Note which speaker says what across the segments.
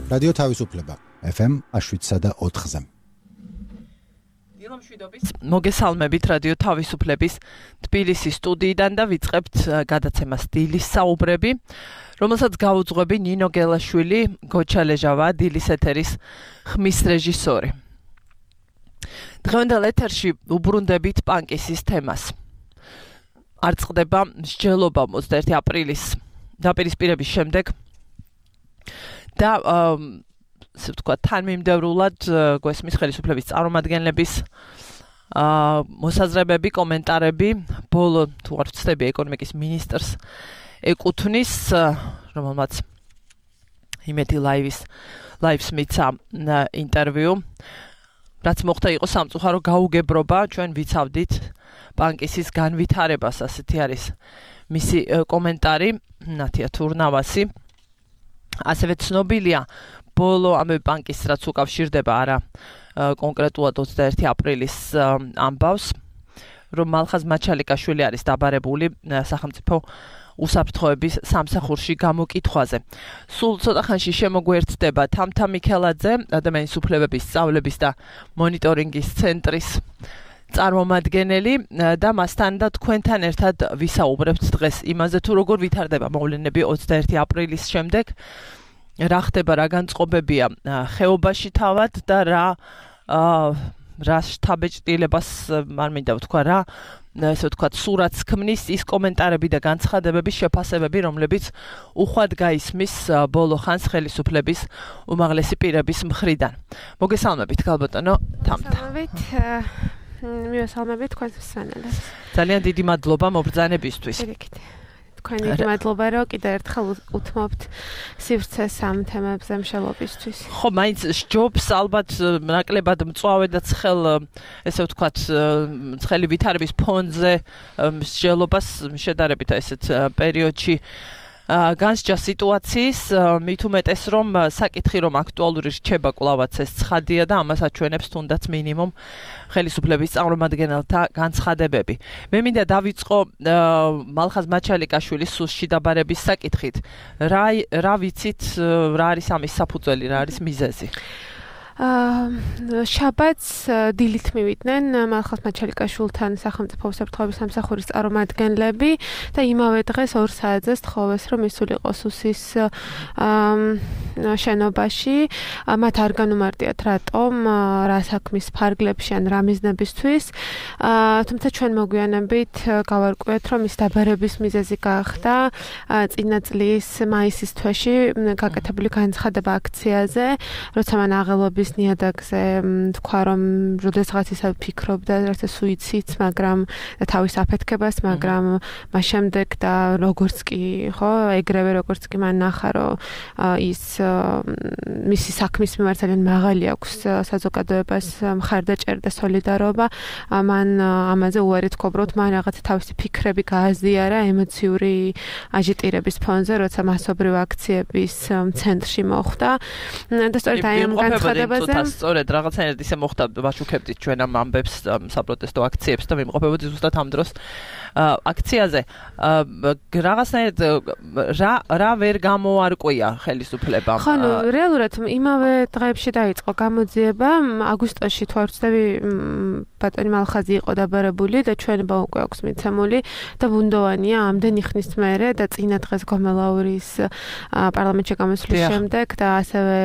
Speaker 1: რადიო თავისუფლება FM 7.4-ზე.
Speaker 2: მოგესალმებით რადიო თავისუფლების თბილისის სტუდიიდან და ვიწყებთ გადაცემას დილის საუბრები, რომელსაც გაუძღვები ნინო გელაშვილი, გოჩა ლეჟავა, დილის ეთერის ხმის რეჟისორი. დღევანდელ ეთერში უბრუნდებით პანკისის თემას. არ წყდება მსჯელობა 21 აპრილის დაპირისპირების შემდეგ და ასე ვთქვათ, თანმიმდევრულად გვესმის ხელისუფლების წარმომადგენლების მოსაზრებები, კომენტარები, ბოლო თუ არ ვცდები ეკონომიკის მინისტრს ეკუთვნის, რომელმაც იმედი ლაივს მიცა ინტერვიუ, რაც მოხდა იყო სამწუხარო გაუგებრობა, ჩვენ ვიცავდით პანკისის განვითარებას, ასეთი არის მისი კომენტარი, ნათია თურნავასი. ასევე ცნობილია ბოლო ამბები პანკის, რაც უკავშირდება არა კონკრეტულად 21 აპრილის ამბავს, რომ მალხაზ მაჩალიკაშვილი არის დაბარებული სახელმწიფო უსაფრთხოების სამსახურში გამოკითხვაზე. სულ ცოტა ხანში შემოგვერთდება თამთა მიქელაძე, ადამიანის უფლებების სწავლების და მონიტორინგის ცენტრის წარმომადგენელი და მასთან და თქვენთან ერთად ვისაუბრებთ დღეს იმაზე, თუ როგორ ვითარდება მოვლენები 21 აპრილის შემდეგ, რა ხდება, რა განწყობებია ხეობაში თავად და რა შთაბეჭდილებას არ მინდა ვთქვა, რა ესე ვთქვათ, სურათს ქმნის ის კომენტარები და განცხადებების შეფასებები, რომლებიც უხვად გაისმის ბოლო ხანს ხელისუფლების უმაღლესი პირების მხრიდან. მოგესალმებით, ქალბატონო თამთა.
Speaker 3: მივესალმებით თქვენს მსმენელებს.
Speaker 2: ძალიან დიდი მადლობა მობრძანებისთვის.
Speaker 3: თქვენი მადლობა, რომ კიდევ ერთხელ უთმობთ სივრცეს ამ თემებზე მშელობისთვის.
Speaker 2: ხო, მაინც სჯობს ალბათ ნაკლებად მწვავე და ესე ვთქვათ, ცხელი ვითარების ფონზე მსჯელობას შედარებით ესეთ პერიოდში განსჯა სიტუაციის, მით უმეტეს რომ საკითხი რომ აქტუალური რჩება კვლავაც ეს ცხადია და ამას აჩვენებს თუნდაც მინიმუმ ხელისუფლების წარმომადგენელთა განცხადებები. მე მინდა დავიწყო მალხაზ მაჩალიკაშვილის სუსში დაბარების საკითხით. რა ვიცით, რა არის ამის საფუძველი, რა არის მიზეზი?
Speaker 3: შაბათს დილით მივიდნენ მალხაზ მაჩალიკაშვილთან სახელმწიფო უსაფრთხოების სამსახურის წარმომადგენლები და იმავე დღეს 2 საათზე სთხოვეს, რომ ისულიყო სუსის შენობაში. მათ არ განუმარტიათ რატომ, რა საქმის ფარგლებში ან რა მიზნებისთვის. თუმცა ჩვენ მოგვიანებით გავარკვიეთ, რომ ის დაბარების მიზეზი გახდა წინა წლის მაისის თვეში გაკეთებული განცხადება აქციაზე, როცა მან აღელვების ნიადაგზე თქვა, რომ როდესაც ისა ფიქრობდა ერთ სუიციდს, მაგრამ და თავის აფეთქებას, მაგრამ მას შემდეგ და როგორც კი, ხო, ეგრევე როგორც კი მან ნახა, რომ ის მისი საქმის მიმართ ძალიან მაღალი აქვს საზოგადოებას მხარდაჭერა და სოლიდარობა, მან ამაზე უარი თქვა, რომ მან რაღაცა თავისი ფიქრები გააზიარა ემოციური აჟიტირების ფონზე, როცა მასობრივ აქციების ცენტრში მოხვდა და სწორედ აი ამ განცხადებაზე
Speaker 2: სწორედ რაღაცნაირად ისე მოხდა, ვაშუქებდით ჩვენ ამ ამბებს საპროტესტო აქციებს და ვიმყოფებოდი ზუსტად ამ დროს აქციაზე. რაღაცნაირად რა ვერ გამოარკვია ხელისუფლებამ?
Speaker 3: ხო, რეალურად იმავე დღეებში დაიწყო გამოძიება. აგვისტოში თუ არ ვცდები, ბატონი მალხაზი იყო დაბარებული და ჩვენება უკვე აქვს მიცემული და ბუნდოვანია ამდენი ხნის მერე და წინა დღეს გომელაურის პარლამენტში გამოსვლის შემდეგ და ასევე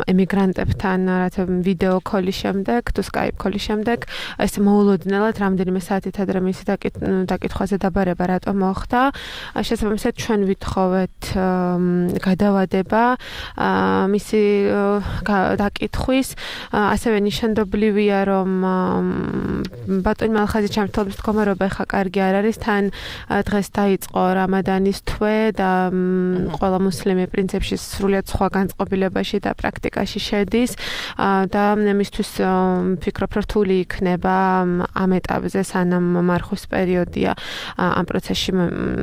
Speaker 3: ემიგრანტებთან რათა ვიდეო ქოლის შემდეგ, თუ სკაიპ ქოლის შემდეგ, ეს მოულოდნელად რამდენიმე საათით ადრე მისი დაკითხვაზე დაბარება რატომ მოხდა. შესაბამისად ჩვენ ვითხოვეთ გადავადება მისი დაკითხვის. ასევე ნიშანდობლივია, რომ ბატონი მალხაზის ჩამრთვლობის მდგომარეობა ხა კარგი არ არის. თან დღეს დაიწყო რამადანის თვე და ყველა მუსლიმი პრინციპში სრულიად სხვა განწყობილებაში და პრაქტიკაში შედის და მისთვის ვფიქრობ, რომ რთული იქნება ამ ეტაპზე, სანამ მარხვის პერიოდია ამ პროცესში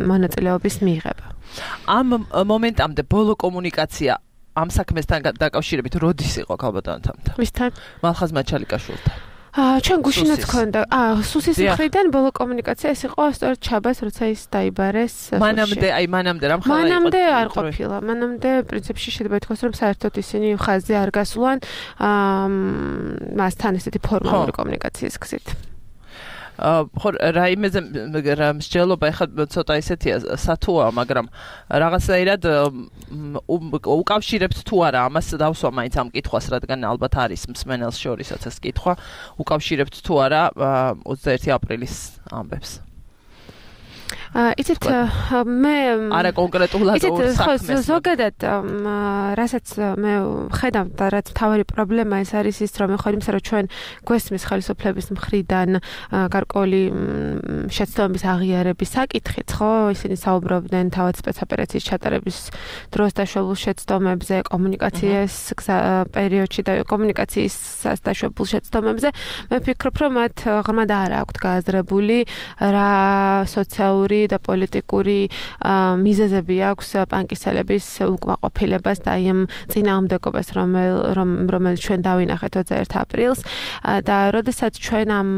Speaker 3: მონაწილეობის მიღება.
Speaker 2: ამ მომენტამდე ბოლო კომუნიკაცია ამ საქმესთან დაკავშირებით როდის იყო ქალბატონთან?
Speaker 3: ვისთან?
Speaker 2: მალხაზ მაჩალიკაშვილთან.
Speaker 3: ჩვენ გუშინაც ქონდა სუსის მხრიდან ბოლო კომუნიკაცია ეს იყო სწორედ ჩაბას როცა ის დაიბარეს
Speaker 2: მანამდე რამ ხალხი
Speaker 3: მანამდე არ ყოფილა მანამდე პრინციპში შეიძლება ითქვას რომ საერთოდ ისინი ხაზზე არ გასულან მასთან ესეთი ფორმალური კომუნიკაციის გზით
Speaker 2: ხო რაიმეზე მსჯელობა ეხლა ცოტა ისეთია სათუაა მაგრამ რაღაცნაირად უკავშირებთ თუ არა ამას დავსვა მაინც ამ კითხვას რადგან ალბათ არის მსმენელს შორისაც ეს კითხვა უკავშირებთ თუ არა 21 აპრილის ამბებს
Speaker 3: იცით მე
Speaker 2: არა კონკრეტულად
Speaker 3: საქმეს ზოგადად რასაც მე ხედავ და რაც თავი პრობლემა ეს არის ის რომ ხო იმისა რომ ჩვენ გვესმის ხელისუფლების მხრიდან გარკვეული შეცდომების აღიარების საკითხით ხო ისინი საუბრობდნენ თავად სპეცოპერაციის ჩატარების დროს დაშვებულ შეცდომებზე კომუნიკაციის პერიოდში და კომუნიკაციის დაშვებულ შეცდომებზე მე ვფიქრობ რომ მათ ღრმად არ აქვთ გააზრებული რა სოციალური და პოლიტიკური მიზეზები აქვს პანკისელების უკმაყოფილებას და იმ წინააღმდეგობას რომელიც ჩვენ დავინახეთ 21 აპრილს და როდესაც ჩვენ ამ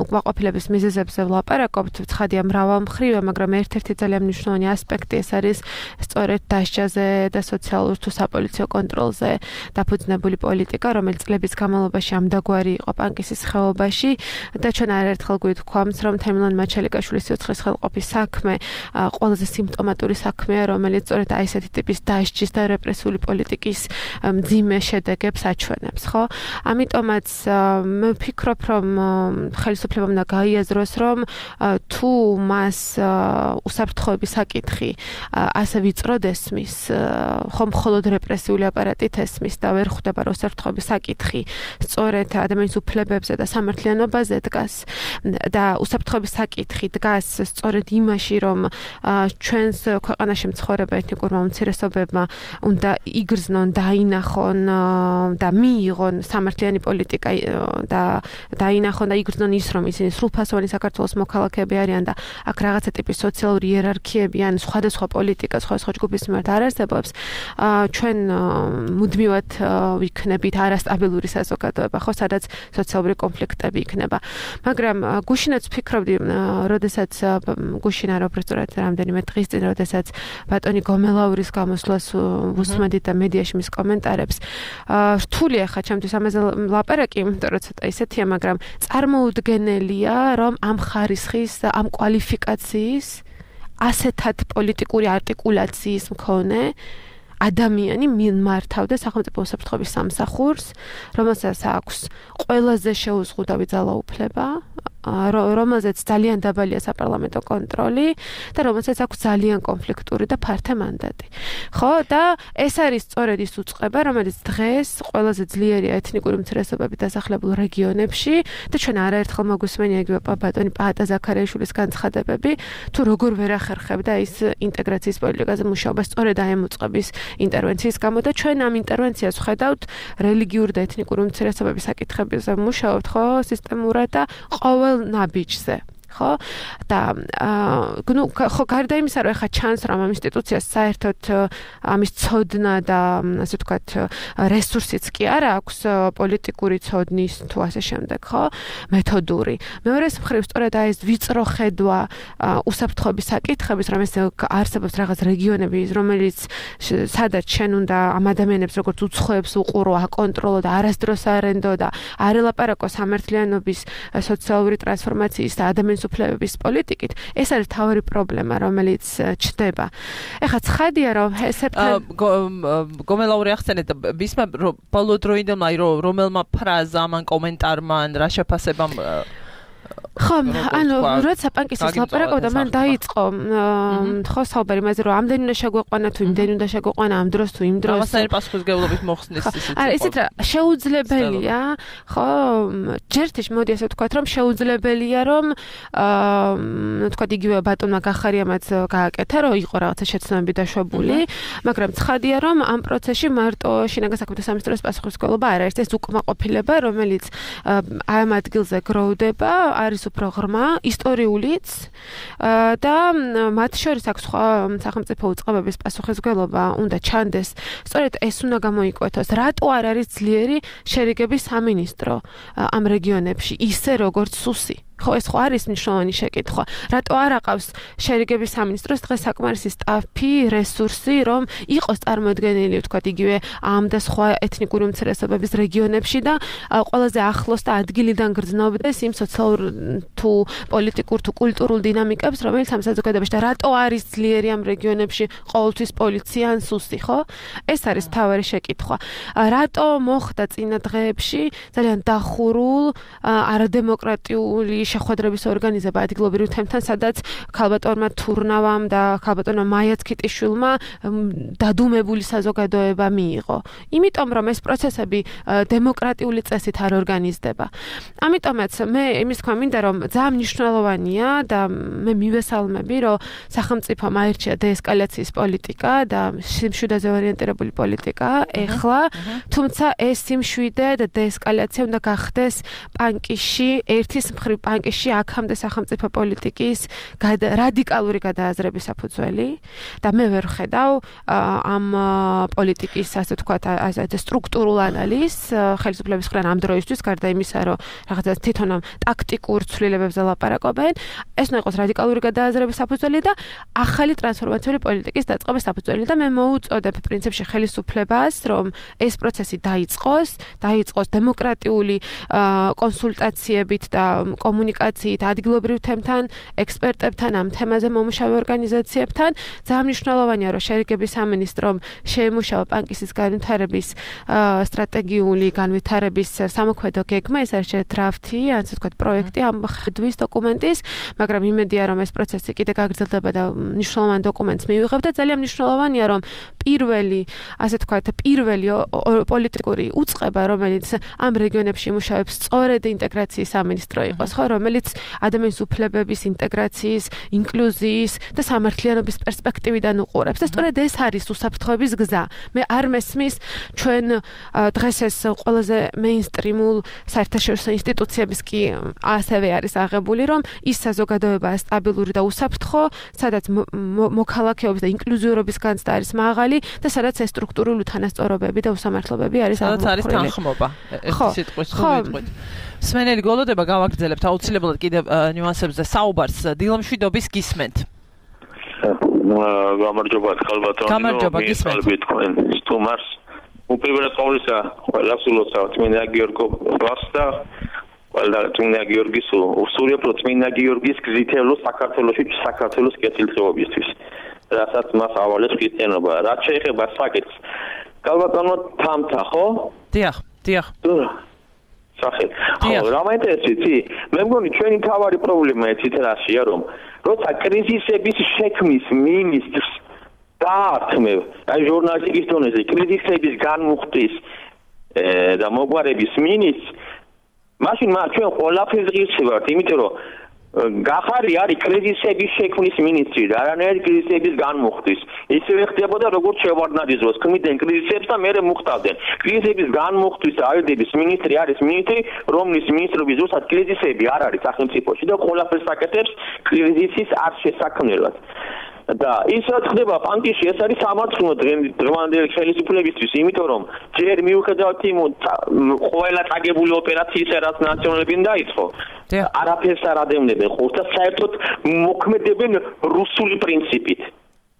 Speaker 3: უკმაყოფილების მიზეზებზე ვლაპარაკობთ ცხადია მრავალმხრივია მაგრამ ერთ-ერთი ძალიან მნიშვნელოვანი ასპექტი ეს არის სწორედ დასჯაზე და სოციალურ თუ საპოლიციო კონტროლზე დაფუძნებული პოლიტიკა რომელიც წლების განმავლობაში ამდაგვარი იყო პანკისის ხეობაში და ჩვენ არაერთხელ გვითქვამს რომ თემილონ მაჩელიკაშვილის სიცხლის ხელყოფის საქმე ყველაზე სიმპტომატური საქმეა რომელიც სწორედ აი ესეთი ტიპის დასჯის და რეპრესიული პოლიტიკის მძიმე შედეგებს აჩვენებს ხო ამიტომაც მე ვფიქრობ რომ ხელისუფლებამ უნდა გაიაზროს რომ თუ მას უსაფრთხოების საკითხი ასე ვიწროდ ესმის ხომ მხოლოდ რეპრესიული აპარატით ესმის და ვერ ხვდება რომ უსაფრთხოების საკითხი სწორედ ადამიანის უფლებებზე და სამართლიანობაზე დგას და უსაფრთხოების საკითხი დგას სწორედ იმაში რომ ჩვენს ქვეყანაში მცხოვრებ ეთნიკურმა უმცირესობებმა უნდა იგრძნონ დაინახონ და მიიღონ სამართლიანი პოლიტიკა და დაინახონ და იგრძნონ ის რომ ისინი სრულფასოვანი საქართველოს მოქალაქეები არიან და აქ რაღაცა ტიპის სოციალური იერარქიები ან სხვადასხვა პოლიტიკა სხვადასხვა ჯგუფის მიმართ არ არსებობს ჩვენ მუდმივად ვიქნებით არასტაბილური საზოგადოება ხო სადაც სოციალური კონფლიქტები იქნება მაგრამ გუშინაც ვფიქრობდი როდესაც გუშინ არ უბრალოდ რამდენიმე დღის წინ როდესაც ბატონი გომელაურის გამოსვლას უსმენდით და მედიაში მის კომენტარებს რთულია ხა ჩემთვის ამაზე ლაპარაკი იმიტომ რომ ცოტა ისეთია მაგრამ წარმოუდგენელია რომ ამ ხარისხის ამ კვალიფიკაციის ასეთად პოლიტიკური არტიკულაციის მქონე ადამიანი მიმართავდა სახელმწიფო უსაფრთხოების სამსახურს რომელსაც აქვს ყველაზე შეუზღუდავი ძალაუფლება რომელზეც ძალიან დაბალია საპარლამენტო კონტროლი და რომელსაც აქვს ძალიან კონფლიქტური და ფართე მანდატი. ხო და ეს არის სწორედ ის უწყება, რომელიც დღეს ყველაზე ძლიერია ეთნიკური უმცირესობებით დასახლებულ რეგიონებში და ჩვენ არაერთხელ მოგვისმენია იგივე ბატონი პაატა ზაქარიაშვილის განცხადებები, თუ როგორ ვერ ახერხებდა ის ინტეგრაციის პოლიტიკაზე მუშაობა სწორედ აი ამ უწყების ინტერვენციის გამო და ჩვენ ამ ინტერვენციას ვხედავთ რელიგიური და ეთნიკური უმცირესობების საკითხებზე მუშაობთ ხო სისტემურად და ყოველ ნაბიჯზე ხო და ნუ ხო გარდა იმისა რომ ახლა ჩანს რომ ამ ინსტიტუციას საერთოდ ამის ცოდნა და ასე ვთქვათ რესურსიც კი არ აქვს პოლიტიკური ცოდნის თუ ასე შემდეგ ხო მეთოდური მეორე მხრივ სწორედ აი ეს ვიწრო ხედვა უსაფრთხოების საკითხების რომ ეს არსებობს რაღაც რეგიონები რომელიც სადაც შენ უნდა ამ ადამიანებს როგორც უცხოებს უყურო აკონტროლო და არასდროს არენდო და არ ელაპარაკო სამართლიანობის სოციალური ტრანსფორმაციის და ადამიანის უფლებების პოლიტიკით ეს არის თავი პრობლემა რომელიც ჩდება. ეხლა ცხადია რომ
Speaker 2: გომელაური ახსენეთ მისმა ბოლო დროინდელმა აი რომელმა ფრაზამ ან კომენტარმა ან რა შეფასებამ
Speaker 3: ხო, ანუ როცა პანკისის ლაპარაკობდა, მან დაიწყო ხო საუბარი იმაზე, რომ ამდენი უნდა შეგვეყვანა თუ იმდენი უნდა შეგვეყვანა ამ დროს თუ იმ დროს.
Speaker 2: რაღაცნაირი პასუხისმგებლობით მოხსნის ისიც.
Speaker 3: არა, ისიც რა, შეუძლებელია, ხო, ჯერთიშ მოდი ასე ვთქვათ, რომ შეუძლებელია, რომ ვთქვათ იგივე ბატონმა გახარიამაც გააკეთა, რომ იყო რაღაცა შეცდომები დაშვებული, მაგრამ ცხადია, რომ ამ პროცესში მარტო შინაგან საქმეთა სამინისტროს პასუხისმგებლობა არ არის, ეს უკმაყოფილება, რომელიც ამ ადგილზე გროვდება, არის უფრო ღრმა, ისტორიულიც და მათ შორის აქვს სხვა სახელმწიფო უწყებების პასუხისმგებლობა უნდა ჩანდეს. სწორედ ეს უნდა გამოიკვეთოს, რატო არ არის ძლიერი შერიგების სამინისტრო ამ რეგიონებში, ისე როგორც სუსი. ხო, ეს ხო არის მნიშვნელოვანი შეკითხვა. რატო არ აყავს შერიგების სამინისტროს დღეს საკმარისი სტაფი, რესურსი, რომ იყოს წარმოდგენილი, ვთქვათ, იგივე ამ და სხვა ეთნიკური უმცირესობების რეგიონებში და ყველაზე ახლოს და ადგილიდან გრძნობდეს იმ სოციალურ თუ პოლიტიკურ თუ კულტურულ დინამიკებს, რომელიც ამ საზოგადოებაში და რატო არის ძლიერი ამ რეგიონებში ყოველთვის პოლიცია ან სუსი, ხო? ეს არის მთავარი შეკითხვა. რატო მოხდა წინა დღეებში ძალიან დახურულ არადემოკრატიული შეხვედრების ორგანიზება ადგილობრივ თემთან, სადაც ქალბატონმა თურნავამ და ქალბატონმა მაიაც ქიტიშვილმა დადუმებული საზოგადოება მიიღო. იმიტომ რომ ეს პროცესები დემოკრატიული წესით არ ორგანიზდება. ამიტომაც მე იმის თქვა მინდა რომ ძალიან მნიშვნელოვანია და მე მივესალმები რომ სახელმწიფომ აირჩია დეესკალაციის პოლიტიკა და სიმშვიდეზე ორიენტირებული პოლიტიკა ეხლა, თუმცა ეს სიმშვიდე და დეესკალაცია უნდა გახდეს პანკიში, ერთის მხრივ პანკიში აქამდე სახელმწიფო პოლიტიკის რადიკალური გადააზრების საფუძველი და მე ვერ ხედავ ამ პოლიტიკის ასე ვთქვათ სტრუქტურულ ანალიზს ხელისუფლების მხრიდან ამ დროისთვის, გარდა იმისა, რომ რაღაცა თვითონ ამ ტაქტიკურ ცვლილებებზე ლაპარაკობენ, ეს უნდა იყოს რადიკალური გადააზრების საფუძველი და ახალი ტრანსფორმაციული პოლიტიკის დაწყების საფუძველი და მე მოუწოდებ პრინციპში ხელისუფლებას, რომ ეს პროცესი დაიწყოს დემოკრატიული კონსულტაციებით და კომუნიკაციით ადგილობრივ თემთან, ექსპერტებთან, ამ თემაზე მომუშავე ორგანიზაციებთან. ძალიან მნიშვნელოვანია, რომ შერიგების სამინისტრომ შეემუშავა პანკისის განვითარების სტრატეგიული განვითარების სამოქმედო გეგმა, ეს არის დრაფტი, ასე ვთქვათ, პროექტი ამ ხედვის დოკუმენტის, მაგრამ იმედია, რომ ეს პროცესი კიდე გაგრძელდება და მნიშვნელოვან დოკუმენტს მივიღებ და ძალიან მნიშვნელოვანია, რომ პირველი პოლიტიკური უწყება, რომელიც ამ რეგიონებში იმუშავებს, სწორედ ინტეგრაციის სამინისტრო იყოს, ხო, რომელიც ადამიანის უფლებების ინტეგრაციის, ინკლუზიის და სამართლიანობის პერსპექტივიდან უყურებს. და სწორედ ეს არის უსაფრთხოების გზა. მე არ მესმის ჩვენ დღეს ეს ყველაზე მეინსტრიმულ საერთაშორისო ინსტიტუციების კი ასევე არის აღებული, რომ ის საზოგადოება სტაბილური და უსაფრთხო, სადაც მოქალაქეობის და ინკლუზიურობის განცდა არის მაღალი და სადაც ეს სტრუქტურული თანასწორობები და უსამართლობები არის აღმოფხვრილი.
Speaker 2: სადაც არის თანხმობა. ერთი სიტყვის ვიტყვით. სმენელი გოლოდება გავაგრძელებთ აუცილებლად კიდევ ნიუანსებზე საუბარს დილამშვიდობის გისმენთ.
Speaker 4: გამარჯობა ხალბატონო.
Speaker 2: გამარჯობა გისმენთ.
Speaker 4: სტუმარს უპირველეს ყოვლისა ყველას ულოცავთ წმინდა გიორგო ბასტა ყველა წმინდა გიორგის უსურვებ რომ წმინდა გიორგის გზითელო საქართველოს კეთილდღეობისთვის რასაც მას ავალებს ქრისტიანობა. რაც შეეხება საკითხს ხალბატონო თამთა ხო?
Speaker 2: დიახ.
Speaker 4: სახეთ. ხო, რა მაინტერესებს? მე მგონი ჩვენი თავარი პრობლემა ეცით რაშია, რომ როცა კრიზისების შექმნის მინისტრს დაართმევ, აი ჟურნალისტიკის დონეზე კრიზისების განმუხტვის და მოგვარების მინისტრს, მაშინ ჩვენ ყველაფერს ღირსებავთ, იმიტომ რომ გახარი არის კრიზისების შექმნის მინისტრი და არანაირი კრიზისების განმუხტვის. ისევე ხდებოდა როგორც შევარდნაძის ქმნიდნენ კრიზისებს და მერე მოხდავდნენ. კრიზისების განმუხტვის და აუდიტის მინისტრი არის მინისტრი, რომლის მინისტრობის ზუსტად კრიზისები არ არის სახელმწიფოში და ყველაფერს აკეთებს კრიზისის არ შესაქმნელად. და ის რაც ხდება პანკიში, ეს არის სამართლო დღევანდელი ხელისუფლებისთვის, იმიტომ რომ ჯერ მიუხედავად იმ ყველა წაგებული ოპერაციისა, რაც ნაციონალებიდან დაიწყო, არაფერს არ ადევნებენ ხოლმე და საერთოდ მოქმედებენ რუსული პრინციპით.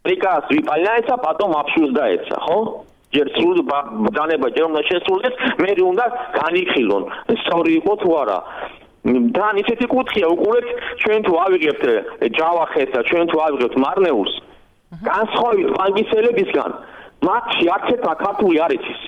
Speaker 4: პრიკას ვიპალაეცა, პატომ აფშულს დაეცა, ხო? ჯერ სრულ ბრძანება ჯერ უნდა შესრულდეს, მე უნდა განიხილონ, სწორი იყო თუ არა. და ისეთი კუთხეა უყურეთ ჩვენ თუ ავიღებთ ჯავახეთს და ჩვენ თუ ავიღებთ მარნეულს განსხვავებით პანკისელებისგან მათში არცერთმა ქართული არ იცის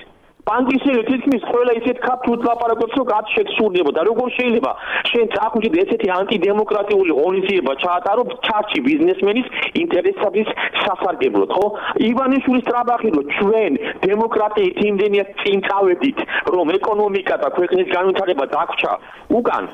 Speaker 4: პანკისელი თითქმის ყველა ისეთ ქართულად ლაპარაკობს რომ კაც შეცურდება და როგორ შეიძლება შენ წახვიდე ესეთი ანტიდემოკრატიული ღონისძიება ჩაატარო ჩარჩი ბიზნესმენის ინტერესების სასარგებლოდ ხო ივანიშვილის ტრაბახი რომ ჩვენ დემოკრატიით იმდენია წინ წავედით რომ ეკონომიკა და ქვეყნის განვითარება დაგვრჩა უკან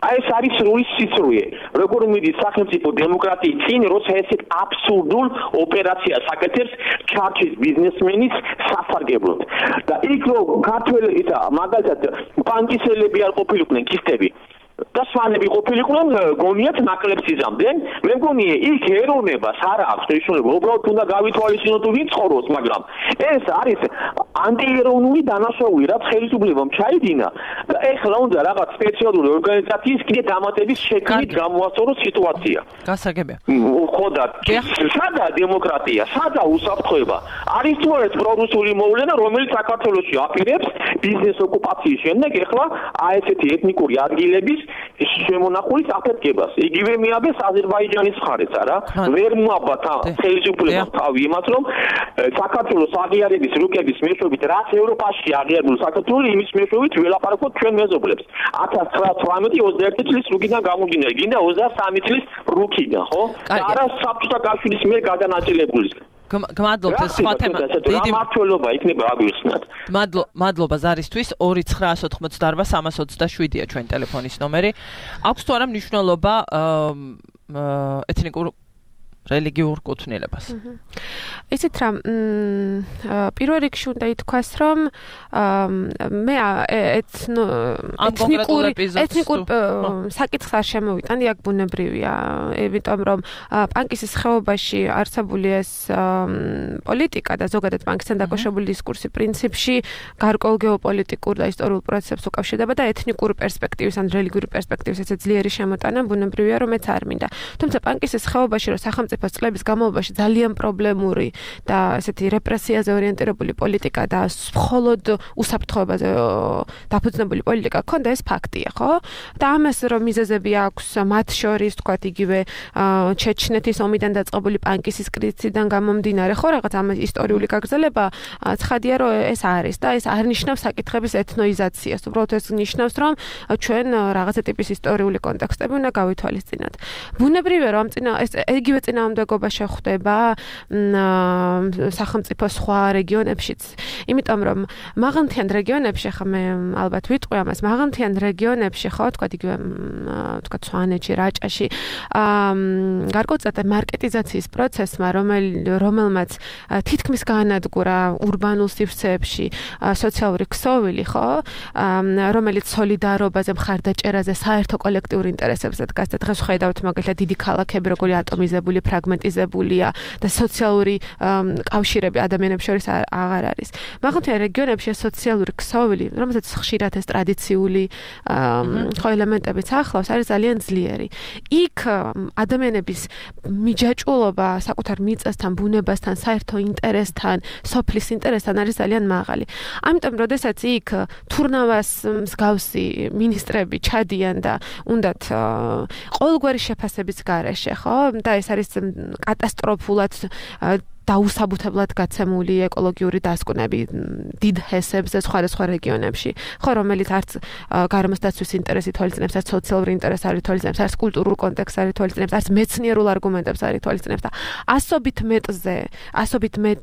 Speaker 4: აი ეს არის სრული სიცრუე როგორ მიდის სახელმწიფო დემოკრატიის წინ როცა ესეთ აბსურდულ ოპერაციას აკეთებს ჩარჩის ბიზნესმენის სასარგებლოდ და იქ რომ ქართველი და მაგალითად პანკისელები არ ყოფილიყვნენ ქისტები და სვანები ყოფილიყვნენ გონიათ ნაკლებს იზამდნენ მე მგონი იქ ეროვნებას არ აქვს მნიშვნელობა უბრალოდ უნდა გავითვალისწინოთ თუ ვინ ცხოვრობს მაგრამ ეს არის ანტიეროვნული დანაშაული რაც ხელისუფლებამ ჩაიდინა და ეხლა უნდა რაღაც სპეციალური ორგანიზაციის კიდე დამატების შექმნით გამოასწოროს სიტუაცია
Speaker 2: გასაგებია
Speaker 4: ხო და სადა დემოკრატია სადა უსაფრთხოება არის თუ არა პრორუსული მოვლენა რომელიც საქართველოში აპირებს ბიზნეს ოკუპაციის შემდეგ ეხლა ესეთი ეთნიკური ადგილების შემონახულის აფეთქებას. იგივე მიაბეს აზერბაიჯანის მხარეც, არა? ვერ მოაბათ ხელისუფლებას თავი იმას, რომ საქართველოს აღიარების რუკების მეშვეობით რაც ევროპაში აღიარებულ საქართველოს იმის მეშვეობით ველაპარაკოთ ჩვენ მეზობლებს. 1918-21 წლის რუკიდან გამომდინარე, გინდა 23 წლის რუკიდან, ხო? და არა საბჭოთა კავშირის მიერ გადანაწილებული.
Speaker 2: გმადლობთ სხვა თემა
Speaker 4: დიდი მართლობა იქნება აგვიხსნათ.
Speaker 2: მადლობა ზარისთვის 2988327-ია ჩვენი ტელეფონის ნომერი. აქვს თუ არა მნიშვნელობა ეთნიკურ რელიგიურ კუთვნილებას.
Speaker 3: ისეთ რა პირველ რიგში უნდა ითქვას რომ მე ეთნიკურ საკითხს არ შემოვიტანდი აქ ბუნებრივია იმიტომ რომ პანკისის ხეობაში არსებული ეს პოლიტიკა და ზოგადად პანკისთან დაკავშირებული დისკურსი პრინციპში გარკვეულ გეოპოლიტიკურ და ისტორიულ პროცესებს უკავშირდება და ეთნიკური პერსპექტივის ან რელიგიური პერსპექტივის ესე ძლიერი შემოტანა ბუნებრივია რომ მეც არ მინდა. თუმცა პანკისის ხეობაში რომ სახელმწიფო წლების განმავლობაში ძალიან პრობლემური და ესეთი რეპრესიაზე ორიენტირებული პოლიტიკა და მხოლოდ უსაფრთხოებაზე დაფუძნებული პოლიტიკა ქონდა ეს ფაქტია, ხო? და ამას რომ მიზეზები აქვს მათ შორის, თქვათ, იგივე ჩეჩნეთის ომიდან დაწყებული პანკისის კრიზისიდან გამომდინარე, ხო, რაღაც ამ ისტორიული გაგრძელება ცხადია რომ ეს არის და ეს არ ნიშნავს საკითხების ეთნოიზაციას. უბრალოდ ეს ნიშნავს რომ ჩვენ რაღაცა ტიპის ისტორიული კონტექსტები უნდა გავითვალისწინოთ. ბუნებრივია რომ ეს იგივე წინააღმდეგობა შეხვდება სახელმწიფო სხვა რეგიონებშიც. იმიტომ რომ მაღალმთიან რეგიონებში ხა მე ალბათ ვიტყვი ამას მაღალმთიან რეგიონებში ხო თქვა იგივე თქვა სვანეთში, რაჭაში გარკვეულწილად მარკეტიზაციის პროცესმა რომელმაც თითქმის გაანადგურა ურბანულ სივრცეებში სოციალური ქსოვილი ხო რომელიც სოლიდარობაზე, მხარდაჭერაზე, საერთო კოლექტიურ ინტერესებზე დგას და დღეს ხედავთ მაგალითად დიდი ქალაქები როგორი ატომიზებული, ფრაგმენტიზებულია და სოციალური კავშირები ადამიანებს შორის აღარ არის. მაღალმთიან რეგიონებში სოციალური ქსოვილი, რომელსაც ხშირად ეს ტრადიციული ხო ელემენტებიც ახლავს, არის ძალიან ძლიერი. იქ ადამიანების მიჯაჭვულობა საკუთარ მიწასთან, ბუნებასთან, საერთო ინტერესთან, სოფლის ინტერესთან არის ძალიან მაღალი. ამიტომ, როდესაც იქ თურნავას მსგავსი მინისტრები ჩადიან და უნდათ ყოველგვარი შეფასების გარეშე, ხო? და ეს არის კატასტროფულად დაუსაბუთებლად გაცემული ეკოლოგიური დასკვნები დიდ ჰესებზე სხვადასხვა რეგიონებში, ხო, რომელიც არც გარემოს დაცვის ინტერესი თვალისწინებს, არც სოციალური ინტერესი არ ითვალისწინებს, არც კულტურულ კონტექსტს არ ითვალისწინებს, არც მეცნიერულ არგუმენტებს არ ითვალისწინებს და ასობით მეტ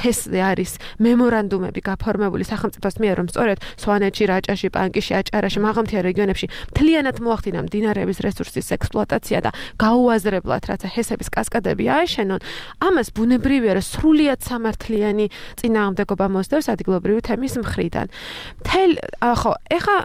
Speaker 3: ჰესზე არის მემორანდუმები გაფორმებული სახელმწიფოს მიერ, რომ სწორედ სვანეთში, რაჭაში, პანკისში, აჭარაში, მაღალმთიან რეგიონებში მთლიანად მოახდინა მდინარეების რესურსის ექსპლუატაცია და გაუაზრებლად რაცა ჰესების კასკადები აეშენონ, ამას ბუნებრივია რომ სრულიად სამართლიანი წინააღმდეგობა მოსდევს ადგილობრივი თემის მხრიდან. ხო, ეხა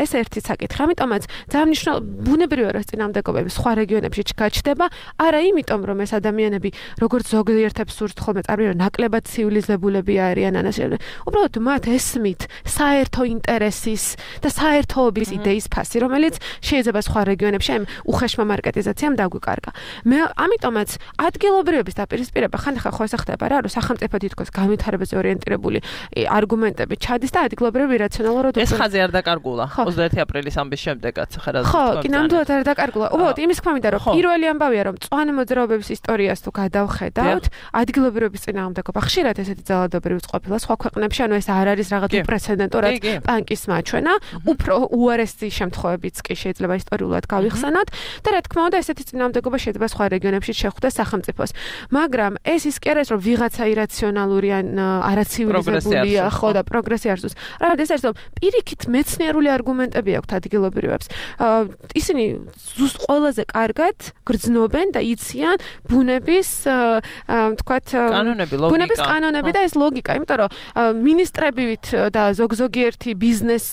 Speaker 3: ეს ერთი საკითხი, ამიტომაც ძალიან მნიშვნელოვანია ბუნებრივია რომ წინააღმდეგობები სხვა რეგიონებში გაჩნდება, არა იმიტომ რომ ეს ადამიანები როგორც ზოგიერთებს სურთ ხოლმე წარმოიდგინონ ნაკლებად ცივილიზებულები არიან ანასიები. უბრალოდ მათ ესმით საერთო ინტერესის და საერთოობის იდეის ფასი, რომელიც შეიძლება სხვა რეგიონებში ამ უხეშმა მარკეტიზაციამ დაგვიკარგა. მე ამიტომაც ადგილობრივების დაპირისპირება ხანდახან ხო ესახება რა, რომ სახელმწიფო თითქოს განვითარებაზე ორიენტირებული არგუმენტები ჩადის და ადგილობრივი რაციონალურად
Speaker 2: ეს ხაზი არ დაკარგულა 21 აპრილის ამბის შემდეგაც ხა რა
Speaker 3: ხო, კი ნამდვილად არ დაკარგულა. უბრალოდ იმის თქმა მინდა რომ პირველი ამბავია რომ მწვანე მოძრაობების ისტორიას თუ გადავხედავთ, ადგილობრივების წინააღმდეგობა ხშირად ესეთი ძალადობრივიც ყოფილა სხვა ქვეყნებში, ანუ ეს არ არის რაღაც უპრეცედენტო რაც პანკის მაჩვენა, უფრო უარესი შემთხვევებიც კი შეიძლება ისტორიულად გავიხსენოთ და რა თქმა უნდა ესეთი წინააღმდეგობა შეიძლება სხვა რეგიონებში შეხვდეს სახელმწიფოს. მაგრამ ეს ის კი არის რომ ვიღაცა ირაციონალური ან არაცივილიზებულია ხო და პროგრესი არსუს. რა ეს არის რომ პირიქით მეცნიერული არგუმენტები აქვთ ადგილობრივებს. ისინი ზუსტ ყველაზე კარგად გრძნობენ და იციან ბუნების თქვათ ბუნების კანონები და ეს ლოგიკა, იმიტომ რომ მინისტრებივით და ზოგიერთი ბიზნეს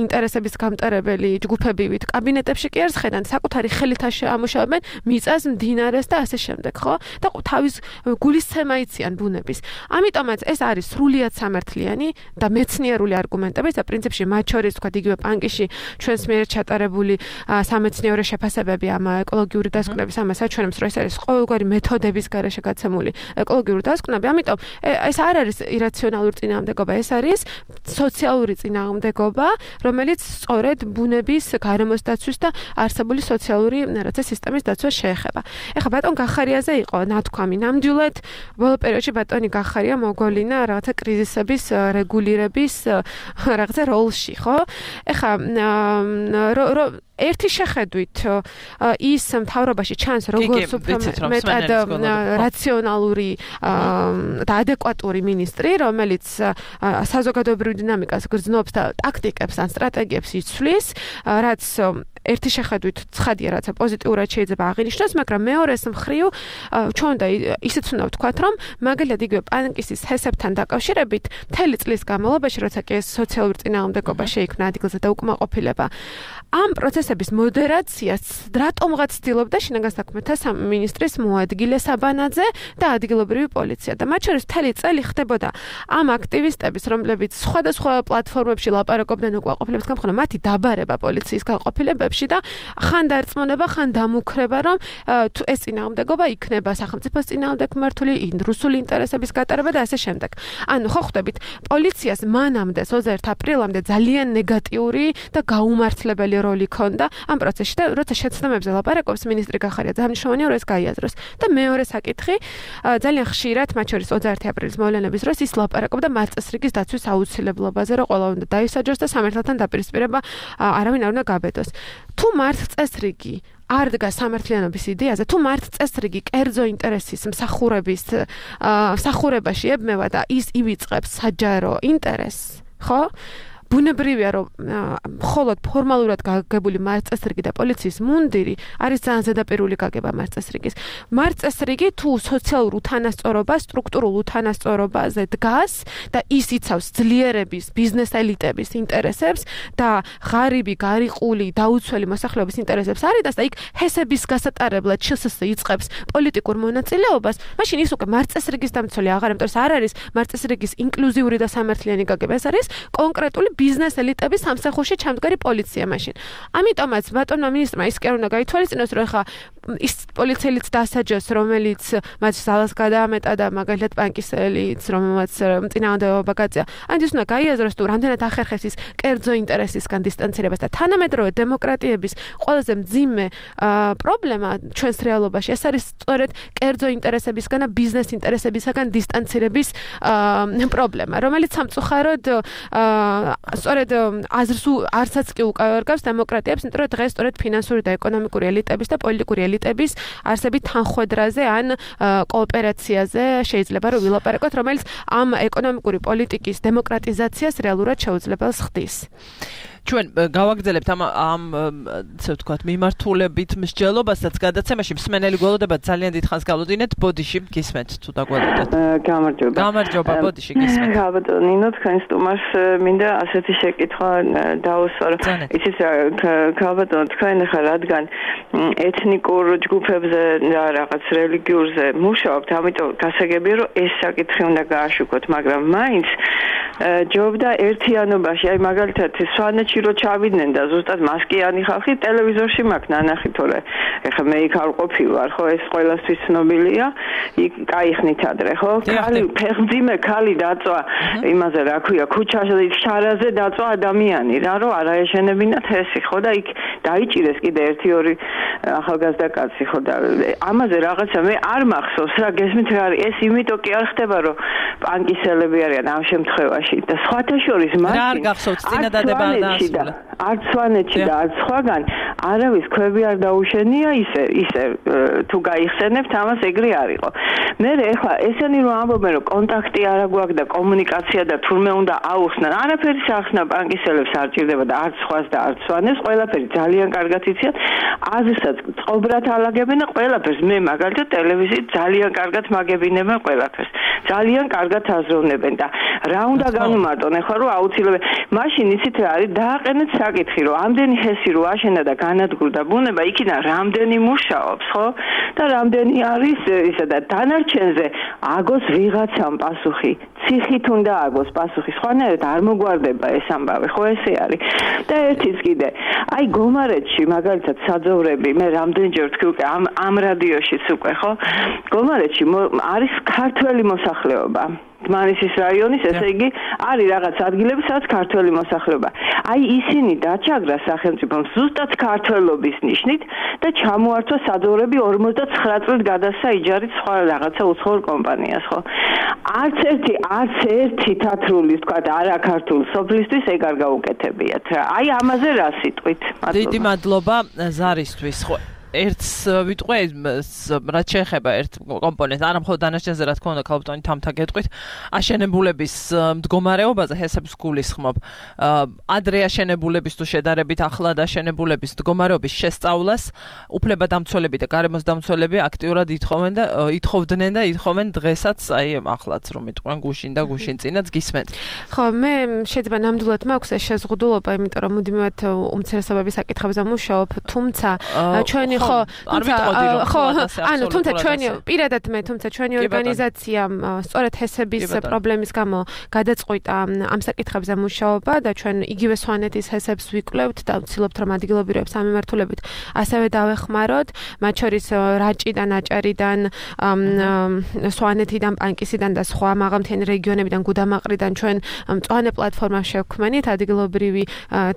Speaker 3: ინტერესების გამტარებელი ჯგუფებივით კაბინეტებში კი არ ხედან, საკუთარი ხელით ამუშავებენ მიწას, მდინარეს და ასე შემდეგ, ხო? და თავის გულისცემა იციან ბუნების. ამიტომაც ეს არის სრულიად სამართლიანი და მეცნიერული არგუმენტები და პრინციპში მათ შორის თქვა იგივე პანკიში ჩვენს მიერ ჩატარებული სამეცნიერო შეფასებები ამ ეკოლოგიური დასკვნების ამას აჩვენებს, რომ ეს არის ყოველგვარი მეთოდების გარეშე გაცემული ეკოლოგიური დასკვნები. ამიტომ ეს არ არის ირაციონალური წინააღმდეგობა, ეს არის სოციალური წინააღმდეგობა, რომელიც სწორედ ბუნების გარემოს დაცვის და არსებული სოციალური რაცა სისტემის დაცვას შეეხება. ეხლა ბატონ გახარიაზე იყო ნათქვამი ნამდვილად ბოლო პერიოდში ბატონი გახარია მოგოლინა რაღაცა კრიზისების რეგულირების რაღაცა როლში, ხო? ეხლა ერთი შეხედვით ის მთავრობაში ჩანს როგორც უფრო მეტად რაციონალური და ადეკვატური მინისტრი, რომელიც საზოგადოებრივ დინამიკას გრძნობს და ტაქტიკებს ან სტრატეგიებს იცვლის, რაც ერთი შეხედვით ცხადია, რაცა პოზიტიურად შეიძლება აღინიშნოს, მაგრამ მეორეს მხრივ ჩვენ უნდა ისიც უნდა ვთქვათ, რომ მაგალითად იგივე პანკისის ჰესებთან დაკავშირებით მთელი წლის განმავლობაში, როცა კი ეს სოციალური წინააღმდეგობა შეიქმნა ადგილზე და უკმაყოფილება, ამ პროცესების მოდერაციას რატომღაც ცდილობდა შინაგან საქმეთა სამინისტრის მოადგილე საბანაძე და ადგილობრივი პოლიცია და მათ შორის მთელი წელი ხდებოდა ამ აქტივისტების, რომლებიც სხვადასხვა პლატფორმებში ლაპარაკობდნენ უკმაყოფილების გამხრა, მათი დაბარება პოლიციის განყოფილებებში და ხან დარწმუნება, ხან დამუქრება, რომ ეს წინააღმდეგობა იქნება სახელმწიფოს წინააღმდეგ მართული, რუსული ინტერესების გატარება და ასე შემდეგ. ანუ ხო ხვდებით, პოლიციას მანამდე 21 აპრილამდე ძალიან ნეგატიური და გაუმართლებელი როლი ჰქონდა ამ პროცესში და როცა შეცდომებზე ლაპარაკობს მინისტრი გახარია, ძალიან მნიშვნელოვანია რომ ეს გაიაზროს. და მეორე საკითხი, ძალიან ხშირად, მათ შორის 21 აპრილის მოვლენების დროს ის ლაპარაკობდა მარწესრიგის დაცვის აუცილებლობაზე, რომ ყველა უნდა დაისაჯოს და სამართალთან დაპირისპირება არავინ არ უნდა გაბედოს. თუ მარწესრიგი არ დგას სამართლიანობის იდეაზე, თუ მარწესრიგი კერძო ინტერესის მსახურებაში ებმევა და ის ივიწყებს საჯარო ინტერესს, ხო? ბუნებრივია, რომ მხოლოდ ფორმალურად გაგებული მარწესრიგი და პოლიციის მუნდირი არის ძალიან ზედაპირული გაგება მარწესრიგის. მარწესრიგი თუ სოციალურ უთანასწორობას, სტრუქტურულ უთანასწორობაზე დგას და ის იცავს ძლიერების, ბიზნეს ელიტების ინტერესებს და ღარიბი, გარიყული, დაუცველი მოსახლეობის ინტერესებს არიდას და იქ ჰესების გასატარებლად შსს იწყებს პოლიტიკურ მონაწილეობას, მაშინ ის უკვე მარწესრიგის დამცველი აღარ, იმიტომ რომ არ არის მარწესრიგის ინკლუზიური და სამართლიანი გაგება, ეს არის კონკრეტული ბიზნეს ელიტების სამსახურში ჩამდგარი პოლიცია მაშინ. ამიტომაც ბატონმა მინისტრმა ის კი არ უნდა გაითვალისწინოს, რომ ხა ის პოლიციელიც დასაჯოს, რომელიც მათ ძალას გადაამეტა და მაგალითად პანკისელიც, რომელმაც წინააღმდეგობა გაწია. ან ის უნდა გაიაზროს, თუ რამდენად ახერხებს ის კერძო ინტერესისგან დისტანცირებას და თანამედროვე დემოკრატიების ყველაზე მძიმე პრობლემა ჩვენს რეალობაში ეს არის სწორედ კერძო ინტერესებისგან და ბიზნეს ინტერესებისგან დისტანცირების პრობლემა, რომელიც სამწუხაროდ სწორედ აზრს არცაც კი უკავიარგავს დემოკრატიებს, იმიტომ რომ დღეს სწორედ ფინანსური და ეკონომიკური ელიტების და პოლიტიკური ელიტების არსებით თანხვედრაზე ან კოოპერაციაზე შეიძლება რომ ვილაპარაკოთ, რომელიც ამ ეკონომიკური პოლიტიკის დემოკრატიზაციას რეალურად შეუძლებელს ხდის. ჩვენ გავაგრძელებთ ამ ასე ვთქვათ მიმართულებით მსჯელობასაც გადაცემაში მსმენელი გველოდებათ ძალიან დიდხანს გავლოდინეთ ბოდიში გისმენთ თუ დაგველოდეთ. გამარჯობა ბოდიში გისმენთ.
Speaker 5: გაბატონინო თქვენ სტუმარს მინდა ასეთი შეკითხვა დაუსვარო. იცით გაბატონო თქვენ ხა რადგან ეთნიკურ ჯგუფებზე და რაღაც რელიგიურზე მუშაობთ, ამიტომ გასაგებია რომ ეს საკითხი უნდა გააშუქოთ, მაგრამ მაინც ჯობდა ერთიანობაში, აი მაგალითად სვანეთში რო ჩავიდნენ და ზუსტად მასკიანი ხალხი ტელევიზორში მაქვს ნანახი, თორე ეხლა მე იქ არ ყოფილ ვარ, ხო, ეს ყველასთვის ცნობილია, იქ кайხნით ადრე, ხო? ქალი ფეხმძიმე ქალი დაწვა იმაზე რა ქვია, ქუჩაზე შარაზე დაწვა ადამიანი, რა რომ არ აეშენებინათ ესე, ხო და იქ დაიჭირეს კიდე 1-2 ახალგაზრდა კაცი, ხო და ამაზე რაღაცა მე არ მახსოვს რა, გესმით რა არის, ეს იმიტომ კი არ ხდება, რომ პანკისელები არიან ამ შემთხვევაში და სხვათა შორის მაშინ
Speaker 2: რა არ გახსოვთ წინადადება და
Speaker 5: არც სვანეთში და არც სხვაგან არავის ქვები არ დაუშენია ისე თუ გაიხსენებთ ამას ეგრე არისო. მე ეხლა ესენი რომ ამბობენ რომ კონტაქტი არ აქვს და კომუნიკაცია და თურმე უნდა აუხსნან, არაფერი სახსნა ბანკისელებს არ ჭირდება და არც სხვას და არც სვანეს, ყველაფერი ძალიან კარგად იციან. აზრსაც წყობრად ალაგებენ და ყველაფერს მე მაგალითად ტელევიზიით ძალიან კარგად მაგებინებენ ყველაფერს. ძალიან კარგად აზროვნებენ და რა უნდა განუმარტონ ეხლა რომ აუცილებლად მაშინ იცით რა არის დააყენეთ საკითხი რომ ამდენი ჰესი რო აშენა და განადგურდა ბუნება იქიდან რამდენი მუშაობს ხო და რამდენი არის ისა და დანარჩენზე აგოს ვიღაცამ პასუხი ციხით უნდა აგოს პასუხი სხვანაირად არ მოგვარდება ეს ამბავი ხო ესე არის და ერთიც კიდე აი გომარეთში მაგალითად საძოვრები მე რამდენჯერ ვთქვი უკვე ამ რადიოშიც უკვე ხო გომარეთში არის ქართველი მოსახლეობა დმანისის რაიონის ესე იგი არის რაღაც ადგილები სადაც ქართველი მოსახლეობა აი ისინი დაჩაგრა სახელმწიფომ ზუსტად ქართველობის ნიშნით და ჩამოართვა საძოვრები 59 წლით გადასცა იჯარით სხვა რაღაცა უცხოურ კომპანიას ხო არც ერთი თათრული თქვა არა ქართულ სოფლისთვის ეგ არ გაუკეთებიათ რა აი ამაზე რა სიტყვით
Speaker 2: დიდი მადლობა ზარისთვის ხო ერთს ვიტყვე რაც შეეხება ერთ კომპონენტს არა მხოლოდ დანარჩენზე რა თქმა უნდა ქალბატონი თამთა გეტყვით აშენებულების მდგომარეობაზე ჰესებს გულისხმობ ადრე აშენებულების თუ შედარებით ახლად აშენებულების მდგომარეობის შესწავლას უფლებადამცველები და გარემოსდამცველები აქტიურად ითხოვდნენ და ითხოვენ დღესაც აი ახლაც რომ იტყვენ გუშინ და გუშინ წინაც გისმენთ
Speaker 3: ხო მე შეიძლება ნამდვილად მაქვს ეს შეზღუდულობა იმიტომ რომ მუდმივად უმცირესობების საკითხებზე მუშაობ თუმცა ჩვენი ხო თუმცა ჩვენი პირადად მე თუმცა ჩვენი ორგანიზაცია სწორედ ჰესების პრობლემის გამო გადაწყვიტა ამ საკითხებზე მუშაობა და ჩვენ იგივე სვანეთის ჰესებს ვიკვლევთ და ვცდილობთ რომ ადგილობრივებს ამემართულებით ასევე დავეხმაროთ მათ შორის რაჭიდან აჭარიდან სვანეთიდან პანკისიდან და სხვა მაღალმთიანი რეგიონებიდან გუდამაყრიდან ჩვენ მწვანე პლატფორმა შევქმნით ადგილობრივი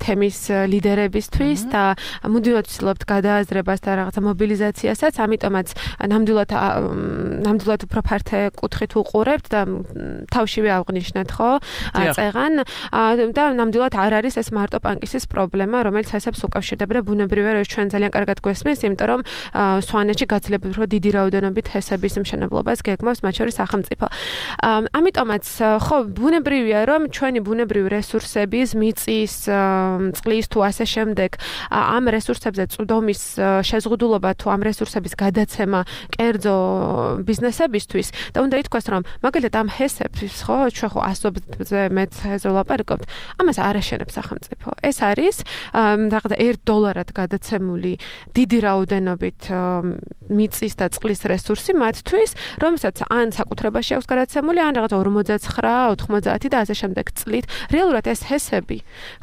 Speaker 3: თემის ლიდერებისთვის და მუდმივად ვცდილობთ გადააზრებას და რაღაცა მობილიზაციასაც, ამიტომაც ნამდვილად უფრო ფართე კუთხით უყურებთ და თავშივე აღნიშნეთ, ხო? წეღან და ნამდვილად არ არის ეს მარტო პანკისის პრობლემა, რომელიც ასებს უკავშირდება და ბუნებრივია რომ ჩვენ ძალიან კარგად გვესმის, იმიტომ რომ სვანეთში გაძლიერებით უფრო დიდი რაოდენობით ჰესების მშენებლობას გეგმავს, მათ შორის სახელმწიფო. ამიტომაც ხო ბუნებრივია რომ ჩვენი ბუნებრივი რესურსების მიწის, წყლის თუ ასე შემდეგ ამ რესურსებზე წვდომის შეზღუდულობა თუ ამ რესურსების გადაცემა კერძო ბიზნესებისთვის და უნდა ითქვას რომ მაგალითად ამ ჰესებს ხო ჩვენ ხო ასობზე მეც ველაპარაკობთ ამას არ აშენებს სახელმწიფო ეს არის რაღაცა $1 გადაცემული დიდი რაოდენობით მიწის და წყლის რესურსი მათთვის რომელსაც ან საკუთრებაში აქვს გადაცემული ან რაღაცა 49 90 და ასე შემდეგ წლით რეალურად ეს ჰესები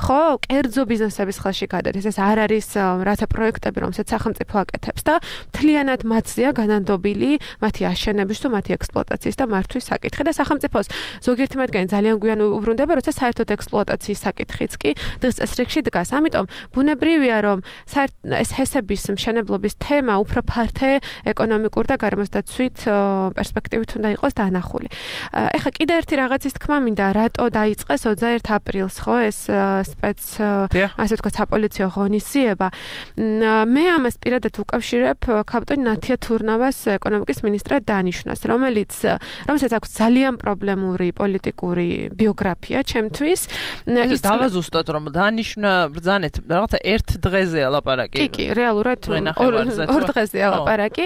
Speaker 3: ხო კერძო ბიზნესების ხელში გადადის ეს არ არის რათა პროექტები რომელსაც სახელმწიფო აკეთებს და მთლიანად მათზეა განანდობილი მათი აშენების თუ მათი ექსპლუატაციის და მართვის საკითხი და სახელმწიფოს ზოგიერთი მათგანი ძალიან გვიან უბრუნდება როცა საერთოდ ექსპლუატაციის საკითხიც კი დღეს წესრიგში დგას ამიტომ ბუნებრივია რომ ეს ჰესების მშენებლობის თემა უფრო ფართე ეკონომიკურ და გარემოსდაცვით პერსპექტივით უნდა იყოს დანახული ეხლა კიდე ერთი რაღაცის თქმა მინდა რატო დაიწყეს 21 აპრილს ხო ეს ასე ვთქვათ საპოლიციო ღონისძიება მე ამას პირადად უკავშირებ ქალბატონ ნათია თურნავას ეკონომიკის მინისტრად დანიშნვას რომელსაც აქვს ძალიან პრობლემური პოლიტიკური ბიოგრაფია ჩემთვის
Speaker 2: ის დავაზუსტოთ რომ დანიშნა ბრძანეთ რაღაცა ერთ დღეზეა ლაპარაკი
Speaker 3: კი რეალურად ორ დღეზეა ლაპარაკი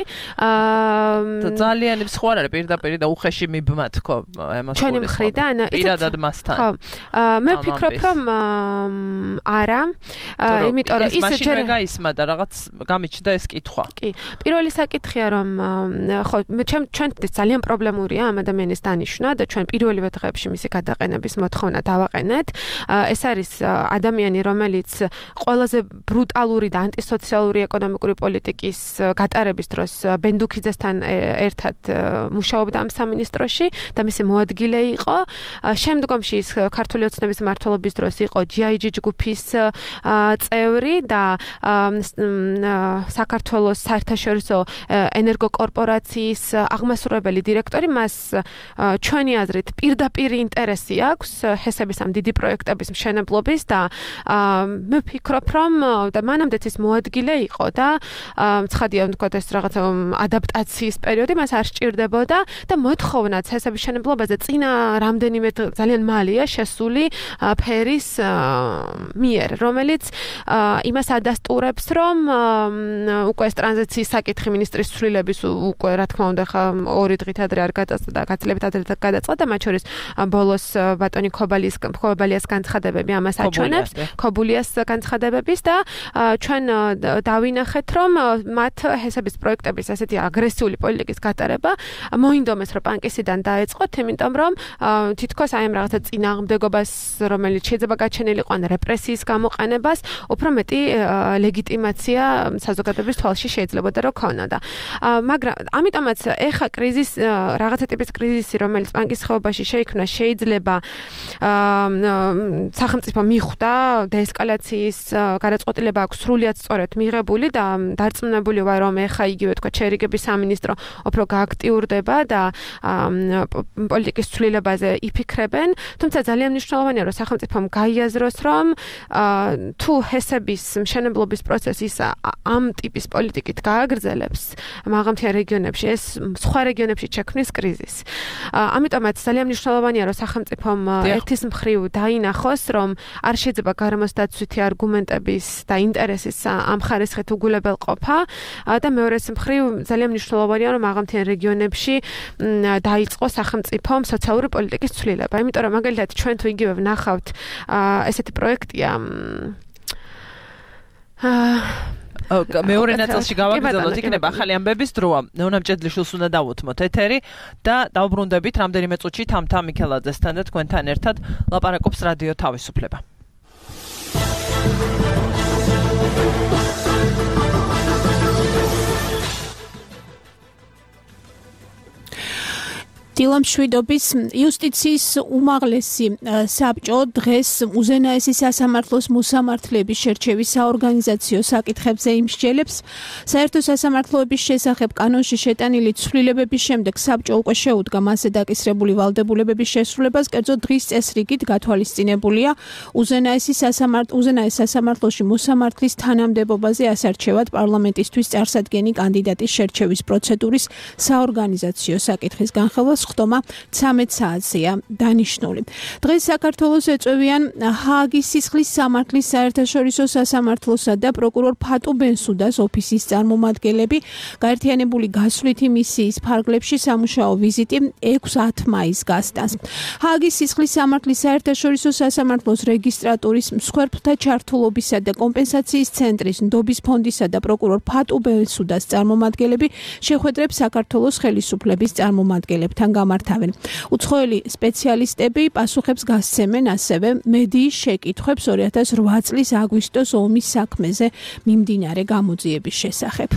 Speaker 2: ძალიან სხვა არის პირდაპირ და უხეში მიბმა თქო
Speaker 3: ემას ჩვენი მხრიდან
Speaker 2: პირადად მასთან
Speaker 3: ხო მე ვფიქრობ რომ არა იმიტომ რომ ის
Speaker 2: ჯერ გაისმა და რაღაც გამიჩნდა ეს კითხვა
Speaker 3: კი პირველი საკითხია რომ ხო ჩვენთვის ძალიან პრობლემურია ამ ადამიანის დანიშვნა და ჩვენ პირველივე დღეებში მისი გადაყენების მოთხოვნა დავაყენეთ ეს არის ადამიანი რომელიც ყველაზე ბრუტალური და ანტისოციალური ეკონომიკური პოლიტიკის გატარების მმართველობის დროს ბენდუქიძესთან ერთად მუშაობდა ამ სამინისტროში და მისი მოადგილე იყო. შემდგომში ის ქართული ოცნების მმართველობის დროს იყო GIG ჯგუფის წევრი და საქართველოს საერთაშორისო ენერგოკორპორაციის აღმასრულებელი დირექტორი. მას ჩვენი აზრით პირდაპირ ინტერესი აქვს ჰესების ამ დიდი პროექტების მშენებლობის და მე ვფიქრობ, რომ და მანამდეც ის მოადგილე იყო და ცხადია ვთქვათ ეს რაღაცა ადაპტაციის პერიოდი მას არ სჭირდებოდა და მოთხოვნაც ჰესების მშენებლობაზე წინა რამდენიმე ძალიან მალეა შესული ფერის მიერ, რომელიც იმას ადასტურებს, რომ უკვე ეს ტრანზიციის საკითხი მინისტრის ცვლილების უკვე რა თქმა უნდა ხა 2 დღით ადრე არ გადაწყვეტა და გაცილებით ადრე გადაწყვეტა და მათ შორის ბოლოს ბატონი ქობალიას განცხადებები ამას აჩვენებს, ქობულიას განცხადებების და ჩვენ დავინახეთ, რომ მათ ჰესების პროექტების ასეთი აგრესიული პოლიტიკის გატარება მოინდომეს, რომ პანკისიდან დაეწყოთ, იმიტომ რომ თითქოს აი ამ რაღაცა წინააღმდეგობას, რომელიც შეიძლება გაჩენილიყო ან რეპრესიის გამოყენებას, უფრო მეტი ლეგიტიმაცია საზოგადოების თვალში შეიძლებოდა რომ ქონოდა. მაგრამ ამიტომაც ეხა კრიზისი, რაღაცა ტიპის კრიზისი, რომელიც პანკის ხეობაში შეიქმნა, შეიძლება სახელმწიფო მიხვდა დეესკალაციის გადაწყვეტილება აქვს სრულიად სწორად მიღებული და დარწმუნებული ვარ, რომ ეხა იგივე თქვა ჩერიგების სამინისტრო უფრო გააქტიურდება და პოლიტიკის ცვლილებაზე იფიქრებენ, თუმცა ძალიან მნიშვნელოვანია, რომ სახელმწიფომ გაიაზროს, რომ თუ ჰესების მშენებლობის პროცესი ამ ტიპის პოლიტიკით გააგრძელებს მაღალმთიან რეგიონებში, ეს სხვა რეგიონებში შექმნის კრიზისს. ამიტომაც ძალიან მნიშვნელოვანია, რომ სახელმწიფომ ერთის მხრივ დაინახოს, რომ არ შეიძლება გარემოსდაცვითი არგუმენტების და ინტერესის ამ ხარისხით უგულებელყოფა და მეორეს მხრივ ძალიან მნიშვნელოვანია, რომ მაღალმთიან რეგიონებში დაიწყოს სახელმწიფომ სოციალური პოლიტიკის ცვლილება. იმიტომ რომ მაგალითად ჩვენ თუ იგივე ვნახავთ ესეთი პროექტია
Speaker 2: მეორე ნაწილში გავაგრძელოთ, იქნება ახალი ამბების დროა. ნეონა მჭედლიშვილს უნდა დავუთმოთ ეთერი და დავბრუნდებით რამდენიმე წუთში თამთა მიქელაძესთან და თქვენთან ერთად ლაპარაკობს რადიო თავისუფლება.
Speaker 6: დილამშვიდობის იუსტიციის უმაღლესი საბჭო დღეს უზენაესი სასამართლოს მოსამართლეების შერჩევის საორგანიზაციო საკითხებზე იმსჯელებს. საერთო სასამართლოების შესახებ კანონში შეტანილი ცვლილებების შემდეგ საბჭო უკვე შეუდგა მასზე დაკისრებული ვალდებულებების შესრულებას, კერძო დღის წესრიგით გათვალისწინებულია უზენაეს სასამართლოში მოსამართლის თანამდებობაზე ასარჩევად პარლამენტისთვის წარსადგენი კანდიდატის შერჩევის პროცედურის საორგანიზაციო საკითხის განხილვა ხდომა 13 საათზეა დანიშნული. დღეს საქართველოს ეწევიან ჰააგის სისხლის სამართლის საერთაშორისო სასამართლოსა და პროკურორ ფატუ ბენსუდას ოფისის წარმომადგენლები. გაერთიანებული გასვლითი მისიის ფარგლებში სამუშაო ვიზიტი 6-10 მაისს გასტანს. ჰააგის სისხლის სამართლის საერთაშორისო სასამართლოს რეგისტრატურის მსხვერპლთა ჩართულობისა და კომპენსაციის ცენტრის ნდობის ფონდისა და პროკურორ ფატუ ბენსუდას წარმომადგენლები შეხვედრებს საქართველოს ხელისუფლების წარმომადგენლებთან გამართავენ. უცხოელი სპეციალისტები პასუხებს გასცემენ ასევე მედიის შეკითხვებს 2008 წლის აგვისტოს ომის საქმეზე მიმდინარე გამოძიების შესახებ.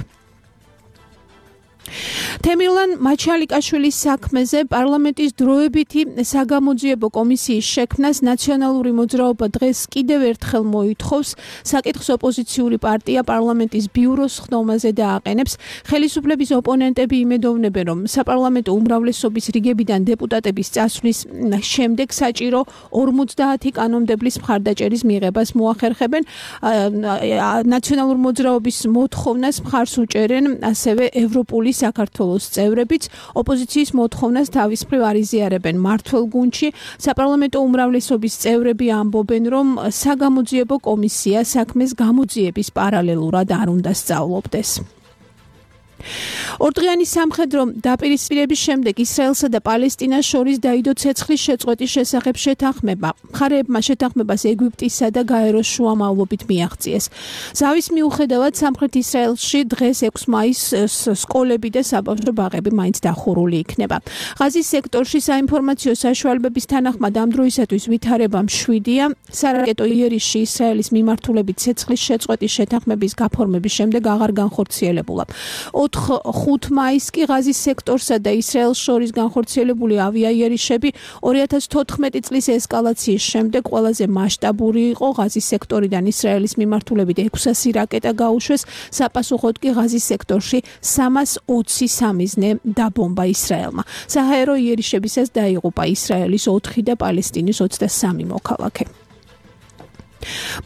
Speaker 6: თემილან მაჩალიკაშვილის საქმეზე პარლამენტის დროებითი საგამოძიებო კომისიის შექმნას ნაციონალური მოძრაობა დღეს კიდევ ერთხელ მოითხოვს. საკითხს ოპოზიციური პარტია პარლამენტის ბიუროს ხდომაზე დააყენებს. ხელისუფლების ოპონენტები იმედოვნებენ, რომ საპარლამენტო უმრავლესობის რიგებიდან დეპუტატების წასვლის შემდეგ საჭირო 50 კანონმდებლის მხარდაჭერის მიღებას მოახერხებენ. ნაციონალური მოძრაობის მოთხოვნას მხარს უჭერენ ასევე ევროპული საქართველოს წევრებიც. ოპოზიციის მოთხოვნას თავის მხრივ არ იზიარებენ მმართველ გუნდში. საპარლამენტო უმრავლესობის წევრები ამბობენ, რომ საგამოძიებო კომისია საქმეს გამოძიების პარალელურად არ უნდა სწავლობდეს. ორდღიანი სამხედრო დაპირისპირების შემდეგ ისრაელსა და პალესტინას შორის დაიდო ცეცხლის შეწყვეტის შესახებ შეთანხმება. მხარეებმა შეთანხმებას ეგვიპტისა და გაეროს შუამავლობით მიაღწიეს. ზავის მიუხედავად სამხრეთ ისრაელში დღეს 6 მაისს სკოლები და საბავშვო ბაღები მაინც დახურული იქნება. ღაზის სექტორში საინფორმაციო საშუალებების თანახმად ამ დროისათვის ვითარება მშვიდია. სარაკეტო იერიშში ისრაელის მიმართულებით ცეცხლის შეწყვეტის შეთანხმების გაფორმების შემდეგ აღარ განხორციელებულა. 5 მაისს კი ღაზის სექტორსა და ისრაელს შორის განხორციელებული ავიაიერიშები 2014 წლის ესკალაციის შემდეგ ყველაზე მასშტაბური იყო. ღაზის სექტორიდან ისრაელის მიმართულებით 600 რაკეტა გაუშვეს, საპასუხოდ კი ღაზის სექტორში 320 სამიზნე დაბომბა ისრაელმა. საჰაერო იერიშებისას დაიღუპა ისრაელის 4 და პალესტინის 23 მოქალაქე.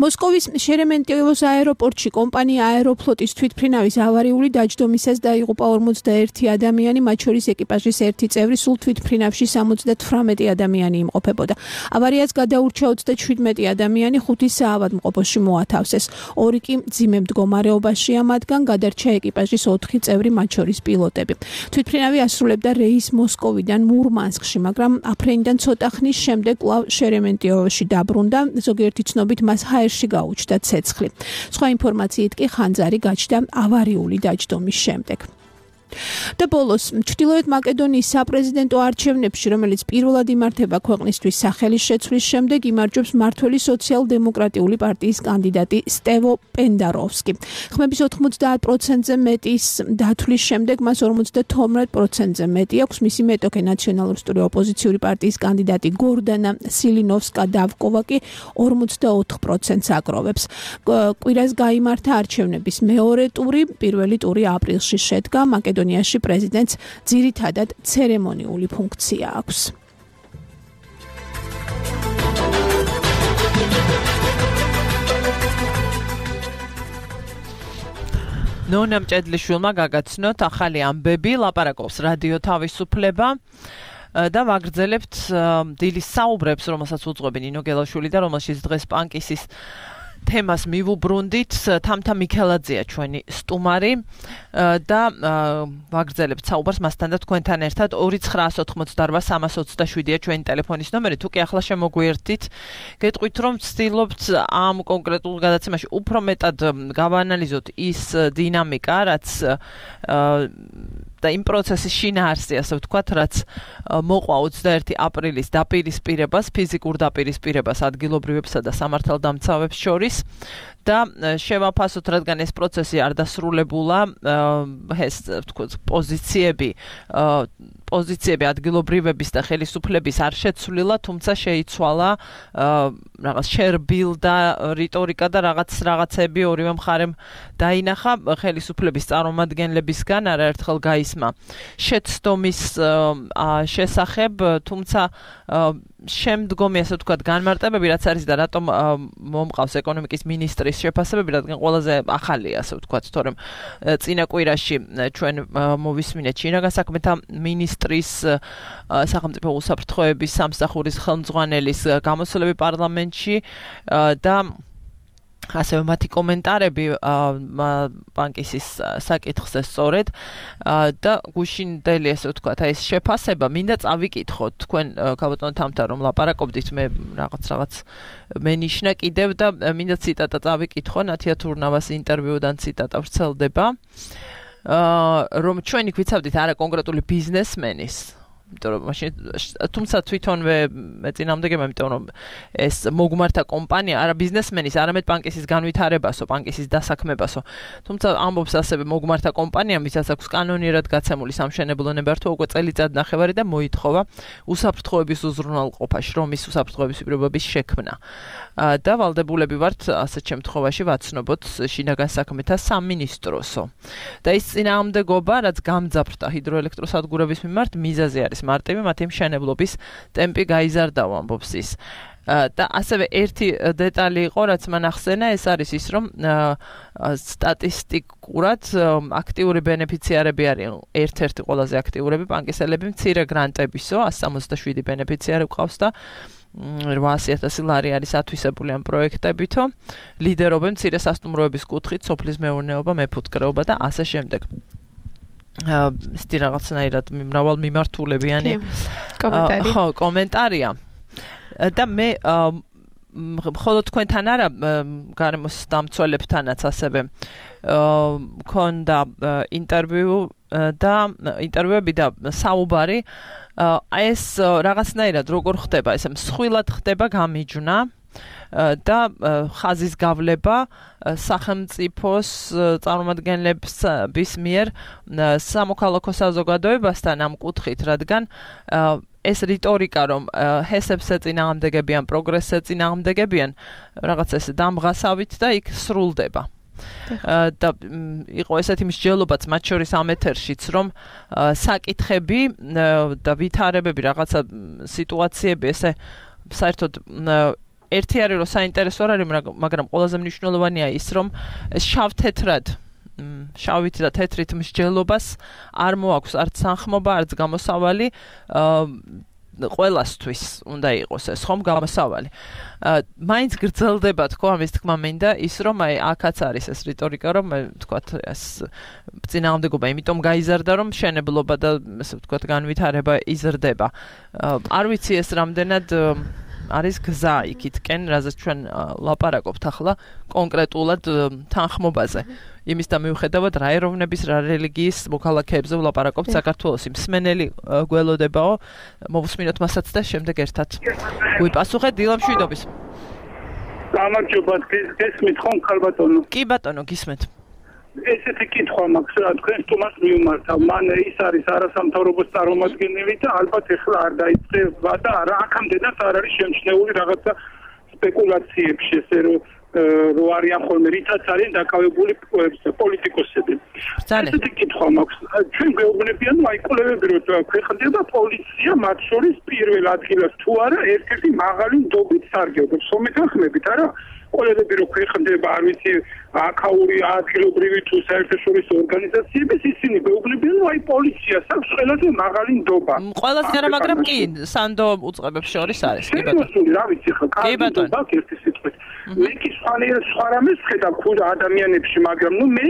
Speaker 6: მოსკოვის შერემეტიევოს აეროპორტში კომპანია აეროფლოტის თვითმფრინავის ავარიული დაჯდომისას დაიღუპა 41 ადამიანი, მათ შორის ეკიპაჟის 1 წევრი, სულ თვითმფრინავში 78 ადამიანი იმყოფებოდა. ავარიას გადაურჩა 37 ადამიანი, 5 საავადმყოფოში მოათავსეს. 2 კი მძიმე მდგომარეობაშია, მათგან გადარჩა ეკიპაჟის 4 წევრი, მათ შორის პილოტები. თვითმფრინავი ასრულებდა რეისს მოსკოვიდან მურმანსკში, მაგრამ აფრენიდან ცოტა ხნის შემდეგ კვლავ შერემეტიევოში დაბრუნდა, ზოგიერთი ცნობით მას ჰაერში გაუჩნდა ცეცხლი. სხვა ინფორმაციით კი ხანძარი გაჩნდა ავარიული დაჯდომის შემდეგ. და ბოლოს, ჩრდილოეთ მაკედონიის საპრეზიდენტო არჩევნებში, რომელიც პირველად იმართება ქვეყნისთვის სახელის შეცვლის შემდეგ, იმარჯვებს მმართველი სოციალ-დემოკრატიული პარტიის კანდიდატი სტევო პენდაროვსკი. ხმების 90%-ზე მეტის დათვლის შემდეგ მას 52%-ზე მეტი აქვს. მისი მეტოქე ნაციონალისტური ოპოზიციური პარტიის კანდიდატი გორდანა სილინოვსკა-დავკოვა კი 44%-ს აგროვებს. კვირას გაიმართა არჩევნების მეორე ტური, პირველი ტური აპრილში შედგა. მაკედონიაში პრეზიდენტს ძირითადად ცერემონიული ფუნქცია აქვს.
Speaker 2: ნონა მჭედლიშვილმა გაგაცნოთ ახალი ამბები, ლაპარაკობს რადიო თავისუფლება და ვაგრძელებთ დილის საუბრებს, რომელსაც უძღვები ნინო გელაშვილი და რომელშიც დღეს პანკისის თემას მივუბრუნდით. თამთა მიქელაძეა ჩვენი სტუმარი და ვაგრძელებთ საუბარს მასთან და თქვენთან ერთად. 2988327-ია ჩვენი ტელეფონის ნომერი. თუ კი ახლა შემოგვიერთდით, გეტყვით რომ ვცდილობთ ამ კონკრეტულ გადაცემაში უფრო მეტად გავაანალიზოთ ის დინამიკა, რაც და იმ პროცესის შინაარსი, ასე ვთქვათ, რაც მოყვა 21 აპრილის დაპირისპირებას, ფიზიკურ დაპირისპირებას ადგილობრივებსა და სამართალდამცავებს შორის და შევაფასოთ, რადგან ეს პროცესი არ დასრულებულა, ეს ვთქვათ, პოზიციები ადგილობრივების და ხელისუფლების არ შეცვლილა, თუმცა შეიცვალა რაღაც შერბილდა რიტორიკა და რაღაცები ორივე მხარემ დაინახა. ხელისუფლების წარმომადგენლებისგან არაერთხელ გაისმა შეცდომის შესახებ, თუმცა შემდგომი, ასე ვთქვათ, განმარტებები რაც არის და რატომ მომყავს ეკონომიკის მინისტრის შეფასებები, რადგან ყველაზე ახალია, ასე ვთქვათ, თორემ წინა კვირაში ჩვენ მოვისმინეთ შინაგან საქმეთა მინისტრის სახელმწიფო უსაფრთხოების სამსახურის ხელმძღვანელის გამოსვლები პარლამენტში და ასევე მათი კომენტარები პანკისის საკითხზე სწორედ და გუშინდელი, ასე ვთქვათ, ეს შეფასება მინდა წავიკითხოთ თქვენ ქალბატონ თამთა რომ ლაპარაკობდით, მე რაღაც მენიშნა კიდევ და მინდა ციტატა წავიკითხო ნათია თურნავას ინტერვიუდან ციტატა ვრცელდება რომ ჩვენი გვიცავდით არა კონკრეტული ბიზნესმენის, თუმცა თვითონვე მეწინააღმდეგება, იმიტომ რომ ეს მოგმართა კომპანია არა ბიზნესმენის, არამედ პანკისის განვითარებასო, პანკისის დასაქმებასო. თუმცა ამბობს ასევე მოგმართა კომპანია, ვისაც აქვს კანონიერად გაცემული სამშენებლო ნებართვა უკვე წელიწად ნახევარი და მოითხოვა უსაფრთხოების უზრუნველყოფა, შრომის უსაფრთხოების პირობების შექმნა. და ვალდებულები ვართ ასეთ შემთხვევაში ვაცნობოთ შინაგან საქმეთა სამინისტროსო. და ის წინააღმდეგობა, რაც გამძაფრდა ჰიდროელექტროსადგურების მიმართ, მიზეზი არის მარტივი, მათი მშენებლობის ტემპი გაიზარდაო, ამბობს ის. და ასევე ერთი დეტალი იყო, რაც მან ახსენა, ეს არის ის, რომ სტატისტიკურად აქტიური ბენეფიციარები არიან ერთ-ერთი ყველაზე აქტიურები პანკისელები, მცირე გრანტებისო, 167 ბენეფიციარი ყავს და 800,000 ლარი არის ათვისებული ამ პროექტებითო, ლიდერობენ მცირე სასტუმროების კუთხით, სოფლის მეურნეობა, მეფუტკრეობა და ასე შემდეგ. ისეთი რაღაცნაირად მრავალ მიმართულებიანი
Speaker 3: კომენტარი.
Speaker 2: ხო, კომენტარია. და მე მხოლოდ თქვენთან არა, გარემოს დამცველებთანაც ასევე მქონდა ინტერვიუები და საუბარი. ეს რაღაცნაირად როგორ ხდება, ესე მსხვილად ხდება გამიჯვნა და ხაზის გავლება სახელმწიფოს წარმომადგენლების მიერ სამოქალაქო საზოგადოებასთან ამ კუთხით, რადგან ეს რიტორიკა, რომ ჰესებს ეწინააღმდეგებიან, პროგრესს ეწინააღმდეგებიან, რაღაც ეს დამღასავით და იქ სრულდება. და იყო ესეთი მსჯელობაც მათ შორის ამ ეთერშიც, რომ საკითხები და ვითარებები, რაღაცა სიტუაციები ესე საერთოდ ერთი არის, რომ საინტერესო არის, მაგრამ ყველაზე მნიშვნელოვანია ის, რომ შავით და თეთრით მსჯელობას არ მოაქვს არც თანხმობა, არც გამოსავალი, ყველასთვის უნდა იყოს ეს ხომ გამოსავალი. მაინც გრძელდება თქო ამის თქმა მინდა ის, რომ აი აქაც არის ეს რიტორიკა, რომ თქვათ ეს წინააღმდეგობა იმიტომ გაიზარდა, რომ მშენებლობა და ესე ვთქვათ განვითარება იზრდება. არ ვიცი ეს რამდენად არის გზა იქითკენ, რაზეც ჩვენ ლაპარაკობთ ახლა კონკრეტულად თანხმობაზე. იმის და მიუხედავად რა ეროვნების, რა რელიგიის მოქალაქეებზე ვლაპარაკობთ საქართველოს, მსმენელი გველოდებაო, მოვუსმინოთ მასაც და შემდეგ ერთად გვიპასუხეთ დილა მშვიდობის.
Speaker 7: გამარჯობა, გესმით ხომ ხალბატონო?
Speaker 2: კი ბატონო, გისმენთ.
Speaker 7: ესეთი კითხვა მაქვს, რა თქვენ თუმას მიუმართავ. მან ის არის არასამთავრობო წარმომადგენელი და ალბათ ეხლა არ დაიწყება და რა აქამდენაც არ არის შემჩნეული რაღაცა სპეკულაციებში, ესე რომ არიან ხოლმე რითაც არიან დაკავებული პოლიტიკოსები. ესეთი კითხვა მაქვს. ჩვენ გვეუბნებიან, აი კვლევები რომ ქვეყნდება პოლიცია მათ შორის პირველ ადგილას თუ არა ერთ-ერთი მაღალი ნდობით სარგებლობს. ხმებით არა? კოლეგები რო ქვეყნდება, არ ვიცი, აქაური ადგილობრივი თუ საერთაშორისო ორგანიზაციების, ისინი გვეუბნებიან, რომ აი პოლიციას აქვს ყველაზე მაღალი ნდობა.
Speaker 2: ყველაზე არა, მაგრამ კი, სანდო უწყებებს შორის არის, კი
Speaker 7: ბატონო. რა ვიცი ხა, კარგი ნდობა ერთი სიტყვით. მე კი სხვა რამეს ხედავ ქუდა ადამიანებში, მაგრამ ნუ მე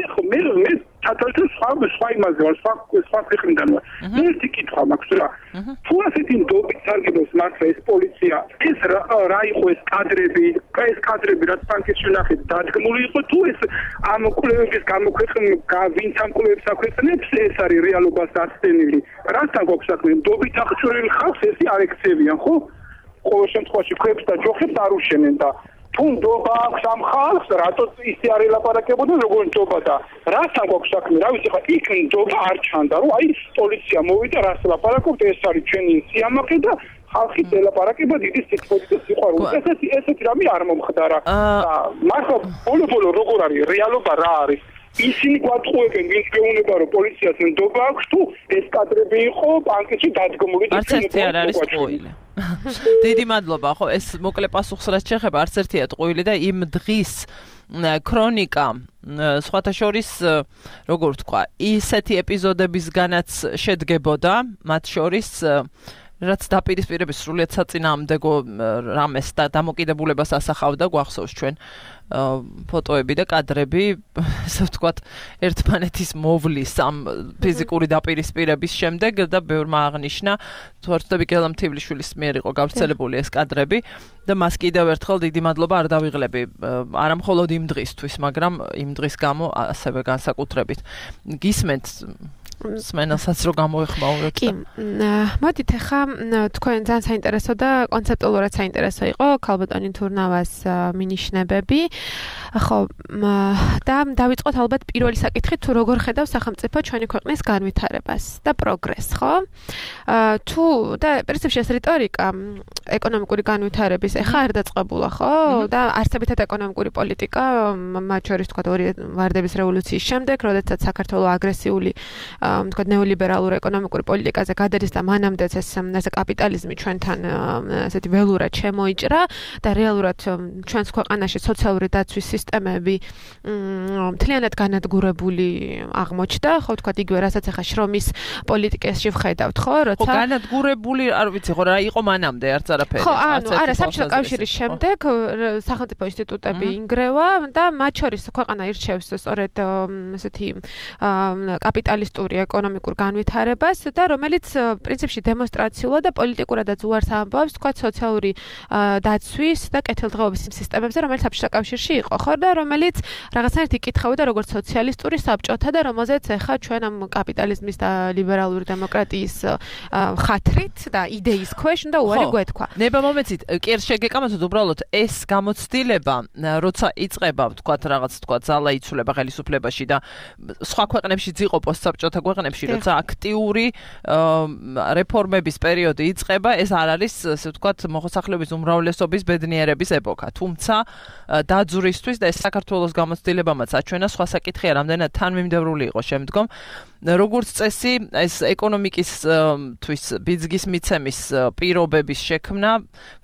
Speaker 7: თათალთან სხვა იმაზე ვარ, სხვა ქვეყნიდან ვარ. მე ერთი კითხვა მაქვს რა. თუ ასეთი ნდობით სარგებლობს მართლა ეს პოლიცია, ეს რა იყო ეს კადრები რაც ფანქეთში ნახეთ დადგმული იყო თუ ეს ამ კვლევების ვინც ამ კვლევებს აქვეყნებს ეს არის რეალობას დაცდენილი. რასთან გვაქვს საქმე? ნდობით აღჭურვილი ხალხს ესე არ ექცევიან, ხო? ყოველ შემთხვევაში ქვებს და ჯოხებს არ უშენენ და თუ ნდობა აქვს ამ ხალხს, რატო ისე არ ელაპარაკებოდნენ როგორ ნდობა და რასთან გვაქვს საქმე? რა ვიცი ხა, იქ ნდობა არ ჩანდა, რომ აი პოლიცია მოვიდა, რას ლაპარაკობთ, ეს არის ჩვენი სიამაყე და ხალხი ელაპარაკება დიდი სიკვდილით და სიყვარულით. ესეთი რამე არ მომხდარა. მართლა ბოლო როგორ არის რეალობა რა არის? ისინი გვატყუებენ, ვინც გეუბნება, რომ პოლიციას ნდობა აქვს თუ ეს კადრები იყო ბანკში დადგმული და
Speaker 2: არც ერთი არ არის ტყუილი. დიდი მადლობა, ხო, ეს მოკლე პასუხს რაც შეეხება, არც ერთია ტყუილი და იმ დღის ქრონიკა სხვათა შორის, როგორ ვთქვა, ისეთი ეპიზოდებისგანაც შედგებოდა, მათ შორის რაც დაპირისპირების სრულიად საწინააღმდეგო რამეს და დამოკიდებულებას ასახავდა, გვახსოვს ჩვენ ფოტოები და კადრები, ასე ვთქვათ, ერთმანეთის მოვლის ამ ფიზიკური დაპირისპირების შემდეგ და ბევრმა აღნიშნა, თუ არ ვცდები გელამთივლიშვილის მიერ იყო გავრცელებული ეს კადრები და მას კიდევ ერთხელ დიდი მადლობა არ დავიღლები, არა მხოლოდ იმ დღისთვის, მაგრამ იმ დღის გამო ასევე განსაკუთრებით. გისმენთ სმენელსაც რო გამოეხმაურებთ.
Speaker 3: კი, მოდით ახლა თქვენ ძალიან საინტერესო და კონცეპტუალურად საინტერესო იყო ქალბატონი თურნავას მინიშნებები. ხო, და დავიწყოთ ალბათ პირველი საკითხით, თუ როგორ ხედავს სახელმწიფო ჩვენი ქვეყნის განვითარებას და პროგრესს, ხო? თუ და პრინციპში ეს რიტორიკა ეკონომიკური განვითარების ახლა არ დაწყებულა, ხო? და არსებითად ეკონომიკური პოლიტიკა, მათ შორის თქვა ვარდების რევოლუციის შემდეგ, როდესაც საქართველოს აგრესიული თქვა ნეოლიბერალურ ეკონომიკურ პოლიტიკაზე გადადის და მანამდეც ეს კაპიტალიზმი ჩვენთან ასეთი ველურად შემოიჭრა და რეალურად ჩვენს ქვეყანაში სოციალური დაცვის სისტემები მთლიანად განადგურებული აღმოჩნდა, ხო თქვა იგივე რასაც ახლა შრომის პოლიტიკაში ვხედავთ, ხო, როცა
Speaker 2: ხო განადგურებული, არ ვიცი, ხო რა იყო მანამდე არც არაფერი.
Speaker 3: ხო, არა, საბჭოთა კავშირის შემდეგ სახელმწიფო ინსტიტუტები ინგრევა და მათ შორის ქვეყანა ირჩევს სწორედ ესეთი კაპიტალისტური რეალისტური ეკონომიკურ განვითარებას და რომელიც პრინციპში დემონსტრაციულად და პოლიტიკურადაც უარს ამბობს, თქვა სოციალური დაცვის და კეთილდღეობის სისტემებზე, რომელიც საბჭოთა კავშირში იყო, ხო და რომელიც რაღაცნაირად იკითხავდა როგორც სოციალისტური საბჭოთა და რომელზეც ეხა ჩვენ ამ კაპიტალიზმის და ლიბერალური დემოკრატიის ხათრით და იდეის ქვეშ უნდა უარი გვეთქვა.
Speaker 2: ნება მომეცით, კი შეგეკამათოთ უბრალოდ ეს გამოცდილება, როცა იწყება, თქვათ რაღაც თქვათ ზალა იცვლება ხელისუფლებაში და სხვა ქვეყნებში იყო პოსტსაბჭოთა ქვეყნებში, როცა აქტიური რეფორმების პერიოდი იწყება, ეს არ არის, ასე ვთქვათ, მოსახლეობის უმრავლესობის ბედნიერების ეპოქა. თუმცა დაძვრისთვის და ეს საქართველოს გამოცდილებამაც აჩვენა სხვა საკითხია, რამდენად თანმიმდევრული იყო შემდგომ. როგორც წესი, ეს ეკონომიკის თვის ბიძგის მიცემის პირობების შექმნა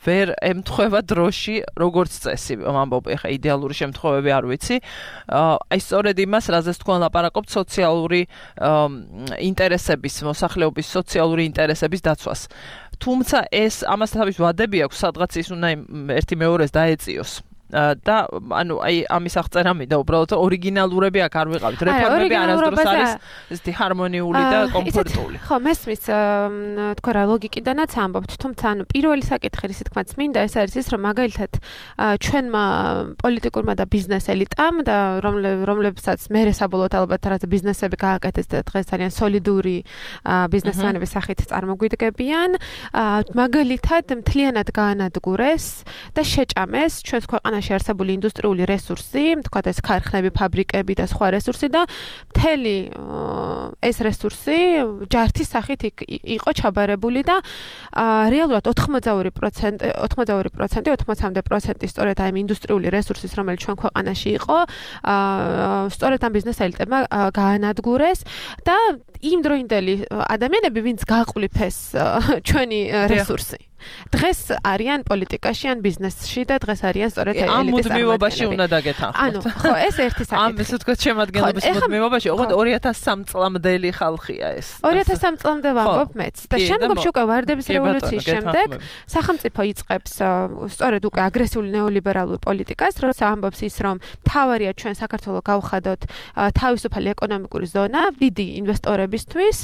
Speaker 2: ვერ ემთხვევა დროში, როგორც წესი, ამბობ, ეხა იდეალური შემთხვევები არ ვიცი. აი სწორედ იმას, რაზეც თქვენ ლაპარაკობთ, სოციალური ინტერესების, მოსახლეობის სოციალური ინტერესების დაცვას. თუმცა ეს ამას თავის ვადები აქვს, სადღაც ის უნდა ერთი მეორეს დაეწიოს. და ანუ აი ამის აღწერა მინდა უბრალოდ ორიგინალურები აქ არ ვიყავით. რეფორმები არასდროს არის ესეთი ჰარმონიული და კომფორტული.
Speaker 3: ხო, მესმის თქვა რა ლოგიკიდანაც ამბობთ, თუმცა ანუ პირველი საკითხი რის თქმაც მინდა ეს არის ის, რომ მაგალითად ჩვენმა პოლიტიკურმა და ბიზნეს ელიტამ და რომლებსაც მერე საბოლოოდ ალბათ რაღაც ბიზნესები გააკეთეს და დღეს ძალიან სოლიდური ბიზნესმენების სახით წარმოგვიდგებიან, მაგალითად მთლიანად გაანადგურეს და შეჭამეს ჩვენს ქვეყანაში არსებული ინდუსტრიული რესურსი, თქვათ ეს ქარხნები, ფაბრიკები და სხვა რესურსი და მთელი ეს რესურსი ჯართის სახით იყო ჩაბარებული და რეალურად 80% სწორედ აი ინდუსტრიული რესურსის, რომელიც ჩვენ ქვეყანაში იყო, სწორედ ამ ბიზნეს ელიტებმა გაანადგურეს და იმ დროინდელი ადამიანები, ვინც გაყვლიფეს ჩვენი რესურსი. დღეს არიან პოლიტიკაში ან ბიზნესში და დღეს არიან სწორედ ელიტის
Speaker 2: ამ მუდმივობაში უნდა დაგეთანხმოთ.
Speaker 3: ანუ ხო, ეს ერთი საკითხი.
Speaker 2: ამ ესე ვთქვათ შემადგენლობის მუდმივობაში, ოღონდ 2003 წლამდელი ხალხია ეს.
Speaker 3: 2003 წლამდე ვამბობ მეც. და შემდგომში უკვე ვარდების რევოლუციის შემდეგ სახელმწიფო იწყებს სწორედ უკვე აგრესიული ნეოლიბერალურ პოლიტიკას, როცა ამბობს ის, რომ მთავარია ჩვენ საქართველოს გავხადოთ თავისუფალი ეკონომიკური ზონა დიდი ინვესტორებისთვის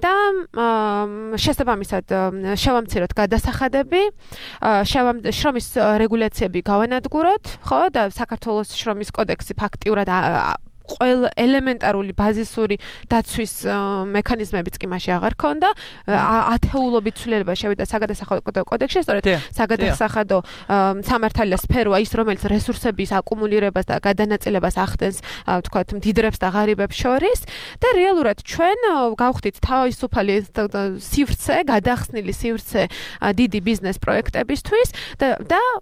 Speaker 3: და შესაბამისად შევამციროთ გადასახადები, შრომის რეგულაციები გავანადგუროთ, ხო, და საქართველოს შრომის კოდექსი ფაქტიურად ყველა ელემენტარული ბაზისური დაცვის მექანიზმებიც კი მასში აღარ ქონდა. ათეულობით ცვლილება შევიდა საგადასახადო კოდექსში, სწორედ საგადასახადო სამართალია სფეროა ის, რომელიც რესურსების აკუმულირებას და გადანაწილებას ახდენს, თქვათ, მდიდრებს და ღარიბებს შორის და რეალურად ჩვენ გავხდით თავისუფალი სივრცე, გადახსნილი სივრცე დიდი ბიზნეს პროექტებისთვის და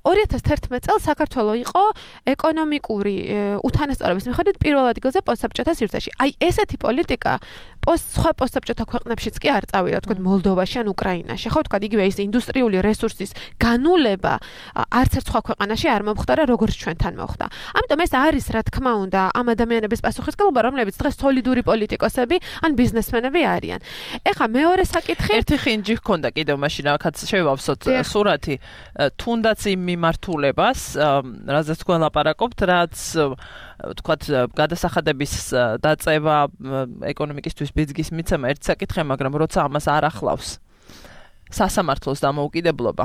Speaker 3: 2011 წელს საქართველოს იყო ეკონომიკური უთანასწორობის მიხედვით პირველ ადგილზე პოსტსაბჭოთა სივრცეში. აი ესეთი პოლიტიკა სხვა პოსტსაბჭოთა ქვეყნებშიც კი არ წავიდა, თქვათ მოლდოვაში ან უკრაინაში. ხო, თქვათ იგივე ის ინდუსტრიული რესურსის განულება არც ერთ სხვა ქვეყანაში არ მომხდარა, როგორც ჩვენთან მოხდა. ამიტომ ეს არის, რა თქმა უნდა, ამ ადამიანების პასუხისმგებლობა, რომლებიც დღეს სოლიდური პოლიტიკოსები ან ბიზნესმენები არიან. ეხლა მეორე საკითხი,
Speaker 2: ერთი ხინჯი ჰქონდა კიდევ მაშინ, რაკაც შევავსოთ სურათი, თუნდაც იმ მიმართულებას, რაზეც თქვენ ლაპარაკობთ, რაც თქვათ გადასახადების დაწევა ეკონომიკისთვის ბიძგის მიცემა ერთ საკითხია, მაგრამ როცა ამას არ ახლავს სასამართლოს დამოუკიდებლობა,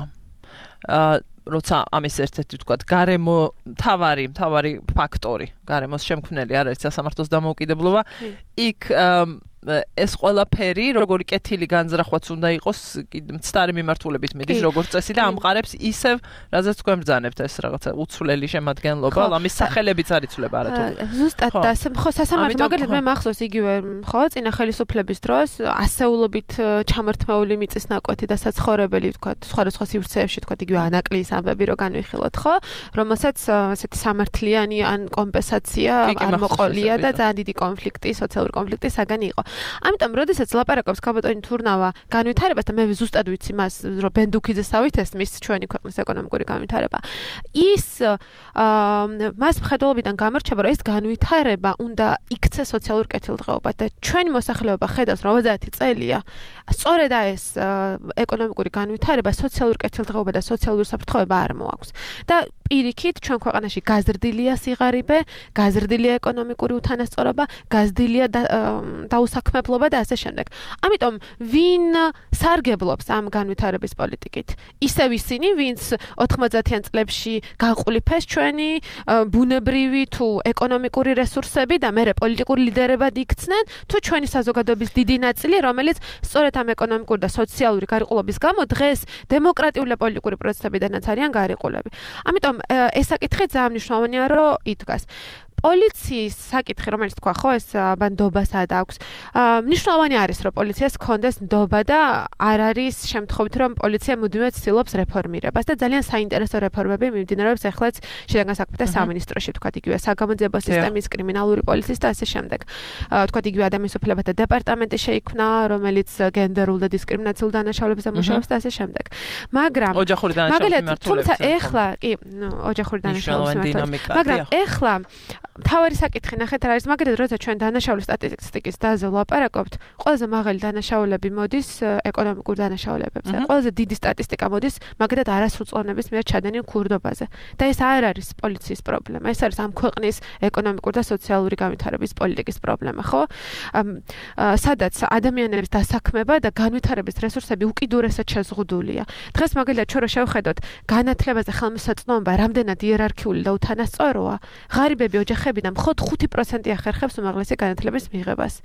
Speaker 2: როცა ამის ერთ-ერთი თქვათ გარემო მთავარი ფაქტორი, გარემოს შემქმნელი არ არის სასამართლოს დამოუკიდებლობა, იქ ეს ყველაფერი, როგორი კეთილი განზრახვაც უნდა იყოს, მცდარი მიმართულებით მიდის, როგორც წესი და ამყარებს ისევ, რაზეც თქვენ ბრძანებთ ეს რაღაცა უცვლელი შემადგენლობა, ამის სახელებიც არ იცვლება არათუ.
Speaker 3: ზუსტად და ხო სასამართლო მაგალითად მე მახსოვს იგივე, ხო, წინა ხელისუფლების დროს ასეულობით ჩამართმეული მიწის ნაკვეთი და საცხოვრებელი, თქვათ, სხვადასხვა სივრცეებში, თქვათ, იგივე ანაკლიის ამბები რო განვიხილოთ, ხო, რომელსაც ესეთი სამართლიანი ან კომპენსაცია არ მოყოლია და ძალიან დიდი კონფლიქტი, სოციალური კონფლიქტი საგანი იყო. ამიტომ, როდესაც ლაპარაკობს ქალბატონი თურნავა განვითარებას და მე ზუსტად ვიცი მას, რომ ბენდუქიძესავით ესმის ჩვენი ქვეყნის ეკონომიკური განვითარება, ის მას მხედველობიდან გამორჩება, რომ ეს განვითარება უნდა იქცეს სოციალურ კეთილდღეობად და ჩვენი მოსახლეობა ხედავს, რომ 30 წელია სწორედ ეს ეკონომიკური განვითარება, სოციალურ კეთილდღეობა და სოციალური საფრთხეობა არ მოაქვს. და პირიქით ჩვენ ქვეყანაში გაზრდილია სიღარიბე, გაზრდილია ეკონომიკური უთანასწორობა, გაზრდილია დაუსაქმებლობა და ასე შემდეგ. ამიტომ ვინ სარგებლობს ამ განვითარების პოლიტიკით? ისევ ისინი, ვინც 90-იან წლებში გაყოლიფეს ჩვენი ბუნებრივი თუ ეკონომიკური რესურსები და მერე პოლიტიკური ლიდერებად იქცნენ, თუ ჩვენი საზოგადოების დიდი ნაწილი, რომელიც სწორედ ამ ეკონომიკური და სოციალური გარიყულობის გამო დღეს დემოკრატიული და პოლიტიკური პროცესებიდანაც არიან გარიყულები. ამიტომ ეს საკითხი ძალიან მნიშვნელოვანია, რომ იდგას. პოლიციის საკითხი, რომელიც თქვა, ხო, ეს ნდობასად აქვს. მნიშვნელოვანი არის, რომ პოლიციას ჰქონდეს ნდობა და არ არის შემთხვევით, რომ პოლიცია მუდმივად ცდილობს რეფორმირებას და ძალიან საინტერესო რეფორმები მიმდინარეობს ახლაც შინაგან საქმეთა სამინისტროში, თქვა, იგივე საგამოძიებო სისტემის, კრიმინალური პოლიციის და ასე შემდეგ. თქვა, იგივე ადამიანის უფლებათა დეპარტამენტი შეიქმნა, რომელიც გენდერულ და დისკრიმინაციულ დანაშაულებებზე მუშაობს და ასე შემდეგ. მაგრამ
Speaker 2: ოჯახური დანაშაულების
Speaker 3: თუმცა ეხლა, კი, ოჯახური დანაშაულების მიმართულებით. მაგრამ ეხლა თავარი საკითხი ნახეთ რა არის, მაგალითად, როცა ჩვენ დანაშაულის სტატისტიკის დაზე ვლაპარაკობთ, ყველაზე მაღალი დანაშაულები მოდის ეკონომიკურ დანაშაულებებზე. ყველაზე დიდი სტატისტიკა მოდის მაგალითად არასრულწლოვნების მიერ ჩადენილ ქურდობაზე. და ეს არ არის პოლიციის პრობლემა, ეს არის ამ ქვეყნის ეკონომიკური და სოციალური განვითარების პოლიტიკის პრობლემა, ხო? სადაც ადამიანების დასაქმება და განვითარების რესურსები უკიდურესად შეზღუდულია. დღეს მაგალითად ჩვენ რო შევხედოთ განათლებაზე ხელმისაწვდომობა რამდენად იერარქიული და უთანასწოროა, ღარიბები ოჯახებიდან მხოლოდ 5% ახერხებს უმაღლესი განათლების მიღებას.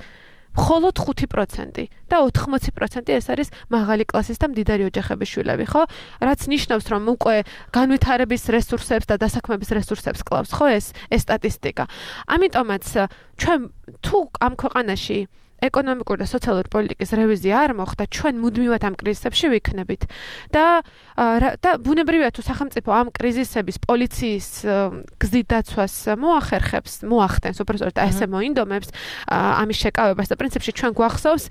Speaker 3: მხოლოდ 5% და 80% ეს არის მაღალი კლასის და მდიდარი ოჯახების შვილები, ხო? რაც ნიშნავს, რომ უკვე განვითარების რესურსებს და დასაქმების რესურსებს კლავს, ხო, ეს სტატისტიკა. ამიტომაც ჩვენ თუ ამ ქვეყანაში ეკონომიკური და სოციალური პოლიტიკის რევიზია არ მოხდა, ჩვენ მუდმივად ამ კრიზისებში ვიქნებით. და ბუნებრივია თუ სახელმწიფო ამ კრიზისების პოლიციის გზით დაცვას მოახდენს, უბრალოდ ესე მოინდომებს ამის შეკავებას და პრინციპში ჩვენ გვახსოვს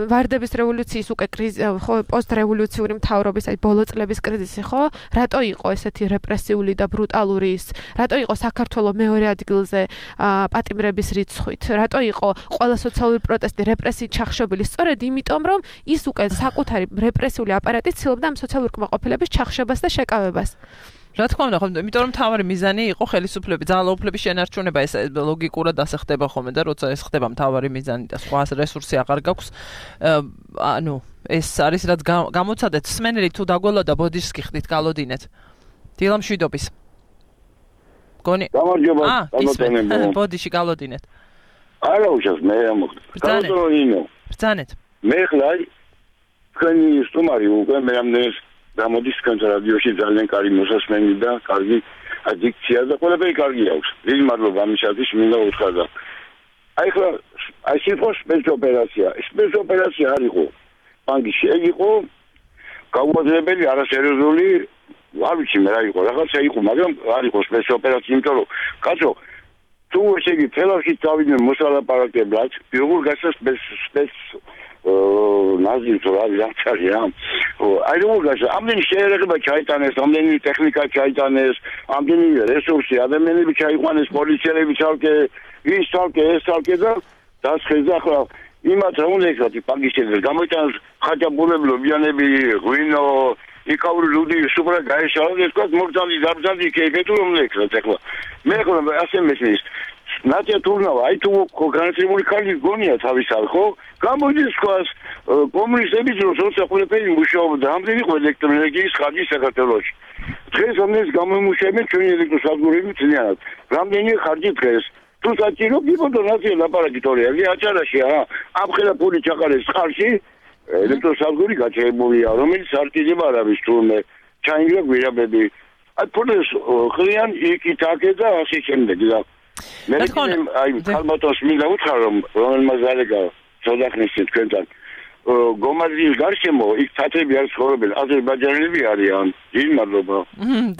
Speaker 3: ვარდების რევოლუციის უკვე პოსტრევოლუციური მთავრობის, აი ბოლო წლების კრიზისი, ხო? რატო იყო ესეთი რეპრესიული და ბრუტალური ის? რატო იყო საქართველოს მეორე ადგილზე პატიმრების რიცხვით? რატო იყო ყველა სოციალური პროტესტი რეპრესიით ჩახშობილი? სწორედ იმიტომ, რომ ის უკვე საკუთარი რეპრესიული აპარატით ცდილობდა ამ სოციალური კმაყოფილების ჩახშობას და შეკავებას.
Speaker 2: რა თქმა უნდა, ხომ, იმიტომ რომ მთავარი მიზანი იყო ხელისუფლების, ძალაუფლების შენარჩუნება, ეს ლოგიკურად ასე ხდება ხოლმე და როცა ეს ხდება მთავარი მიზანი და სხვა რესურსი აღარ გაქვს, ანუ ეს არის რაც გამოცადეთ სმენელი თუ დაგველოდა ბოდიშსკი ხდით გალოდინეთ. დილამშვიდობის. გონი.
Speaker 8: გამარჯობა, გამოტანებო.
Speaker 2: ბოდიში გალოდინეთ.
Speaker 8: არა უშავს მე ამოხდა.
Speaker 2: ბრძანეთ.
Speaker 8: მე ხლა თქვენი სტუმარი უკვე მე ამდენს გამოდის რადიოში ძალიან კარგი მოსასმენი და კარგი ადიქცია და ყველაფერი კარგი აქვს. დიდი მადლობა ამისათვის მინდა უთხრა და აი ხლა აი სიტყვა სპეცოპერაცია. სპეცოპერაცია არ იყო. ბანკში იყო გაუძლებელი არასერიოზული არ ვიცი მე რა იყო. რაღაცა იყო, მაგრამ არ იყო სპეცოპერაცია, იმიტომ რომ კაცო თუ ესე იგი თელავში წავიდნენ მოსალაპარაკებლად, როგორ გასას სპეც ნაზირს რა ვიცი აი როგორ გასა ამდენი შეერაღება ჩაიტანეს, ამდენი ტექნიკა ჩაიტანეს, ამდენი რესურსი, ადამიანები ჩაიყვანეს, პოლიციელები ცალკე, ის ცალკე, ეს ცალკე და დასხეს ახლა იმათ რა უნდა ეკრატი პაგიშენდეს, გამოიტანოს ხაჭაპურებlo ბიანები, ღვინო, იკავრი ლუდი, სუპრა გაეშალა, ეს თქვა მოგძალი, დაბძალი, კეიფეთუ რომ ეკრატ ახლა. მე ხოლმე ასე მესმის ნატია თურნავა, აი თუ განათლებული ქალი გონია თავისად, ხო? გამოდის თქვას კომუნისტების დროს როცა ყველაფერი მუშაობდა, ამდენი იყო ელექტროენერგიის ხარჯი საქართველოში. დღეს ამდენს გამომუშავებენ ჩვენი ელექტროსადგურები ძნელად. რამდენი ხარჯი დღეს? თუ საჭირო გიბოდო ნაცია ლაპარაკი თორეა, აჭარაში ამხელა ფული ჩაყარეს ხარში, ელექტროსადგური გაჩერებულია, რომელიც არ კიდევ არ არის თურმე ჩაინგრა გვირაბები. აი ფულეს ხლიან იქ-აქ და ასე შემდეგ და მე აი ხალბატონს მინდა უთხრა რომ რომელმაც დალეგა ზოდახნის თქვენთან გომაზის გარშემო იქ თათები არ ცხოვრობენ, აზერბაიჯანელები არიან. დიდი მადლობა.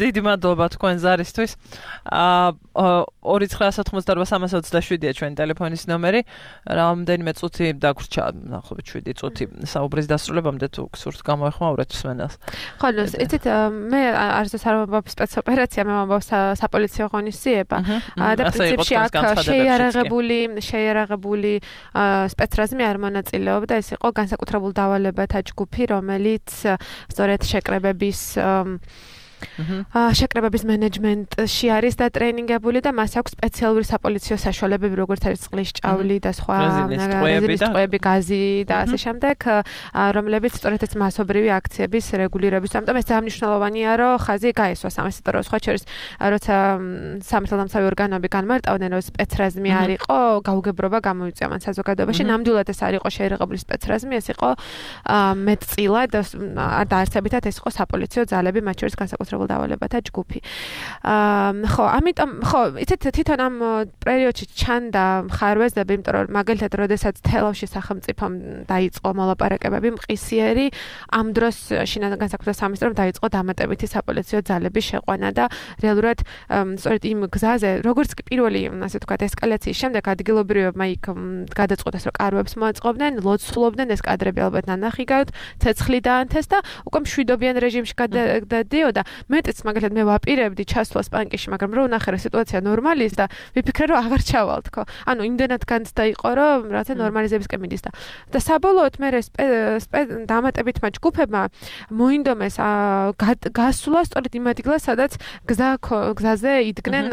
Speaker 2: დიდი მადლობა თქვენ ზარისთვის. 29988 ჩვენი ტელეფონის ნომერი. რამდენიმე წუთი დაგვრჩა, ნახოთ 7 წუთი საუბრის დასრულებამდე თუ გსურთ გამოეხმაურეთ მსმენელს.
Speaker 3: ხო, იცით, მე არც არ ვამბობ სპეცოპერაცია, მე ვამბობ საპოლიციო ღონისძიება. და პრინციპში აქ შეიარაღებული სპეცრაზმი არ მონაწილეობდა, ეს იყო განსაკუთრებულ დავალებათა ჯგუფი, რომელიც სწორედ შეკრებების შეკრებების მენეჯმენტში არის და ტრეინინგებული და მას აქვს სპეციალური საპოლიციო საშუალებები, როგორც არის წყლის ჭავლი და სხვა რეზინის გაზი და ასე შემდეგ, რომლებიც სწორედ ეს მასობრივი აქციების რეგულირების. ამიტომ ეს ძალიან მნიშვნელოვანია, რომ ხაზი გაესვა სამეცნიერო რომ სხვა შორის, როცა სამართალდამცავი ორგანოები განმარტავდნენ, რომ სპეცრაზმი არ იყო, გაუგებრობა გამოიწვია მან საზოგადოებაში. ნამდვილად ეს არ იყო შეერაღებული სპეცრაზმი, ეს იყო მეტწილად და არსებითად ეს იყო საპოლიციო ძალები, მათ შორის განსაკუთრებულ დავალებათა ჯგუფი. ხო, ამიტომ ხო, იცით თვითონ ამ პერიოდში ჩანდა ხარვეზები, იმიტომ რომ მაგალითად, როდესაც თელავში სახელმწიფომ დაიწყო მოლაპარაკებები მყისიერი, ამ დროს შინაგან განსაკუთრებულ სამინისტრომ დაიწყო დამატებითი საპოლიციო ძალების შეყვანა და რეალურად სწორედ იმ გზაზე, როგორც კი პირველი, ასე ვთქვათ, ესკალაციის შემდეგ ადგილობრივებმა იქ გადაწყვეტეს, რომ კარვებს მოაწყობდნენ, ლოცულობდნენ, ეს კადრები ალბათ ნანახი გაქვთ, ცეცხლი დაანთეს და უკვე მშვიდობიან რეჟიმში გადადიოდა. მეტიც მაგალითად მე ვაპირებდი ჩასვლას პანკიში, მაგრამ რო ვნახე, რომ სიტუაცია ნორმალის და ვიფიქრე, რომ აღარ ჩავალ თქო. ანუ იმდენად განცდა იყო, რომ რაღაცა ნორმალიზებისკენ მიდის და საბოლოოდ მე დამატებითმა ჯგუფებმა მოინდომეს გასვლა სწორედ იმ ადგილას, სადაც გზაზე იდგნენ,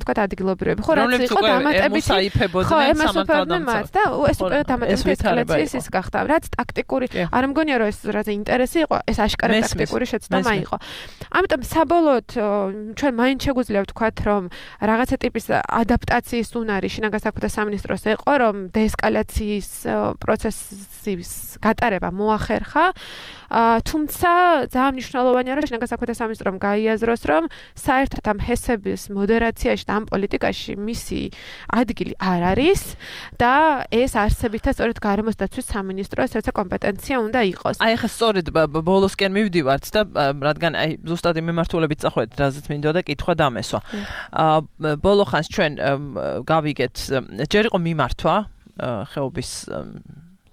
Speaker 3: თქვათ, ადგილობრივები. ხო, რაც იყო დამატებითი ხო, ემასოფებდნენ მათ და ეს უკვე დამატებითი ესკალაციის ის გახდა. რაც ტაქტიკური, არ მგონია, რომ ეს რაღაცა ინტერესი იყო, ეს აშკარად ტაქტიკური შეცდომა იყო. ამიტომ საბოლოოდ ჩვენ მაინც შეგვიძლია ვთქვათ, რომ რაღაცა ტიპის ადაპტაციის უნარი შინაგან საქმეთა სამინისტროს ეყო, რომ დეესკალაციის პროცესის გატარება მოახერხა. თუმცა ძალიან მნიშვნელოვანია, რომ შინაგან საქმეთა სამინისტრომ გაიაზროს, რომ საერთოდ ამ ჰესების მოდერაციაში და ამ პოლიტიკაში მისი ადგილი არ არის და ეს არსებითად სწორედ გარემოს დაცვის სამინისტროს როცა კომპეტენცია უნდა იყოს.
Speaker 2: აი ახლა სწორედ ბოლოსკენ მივდივართ და რადგან აი ზუსტად მიმართულებით წახვედით, რაზეც მინდოდა კითხვა დამესვა. ბოლო ხანს ჩვენ გავიგეთ, ჯერ იყო მიმართვა ხეობის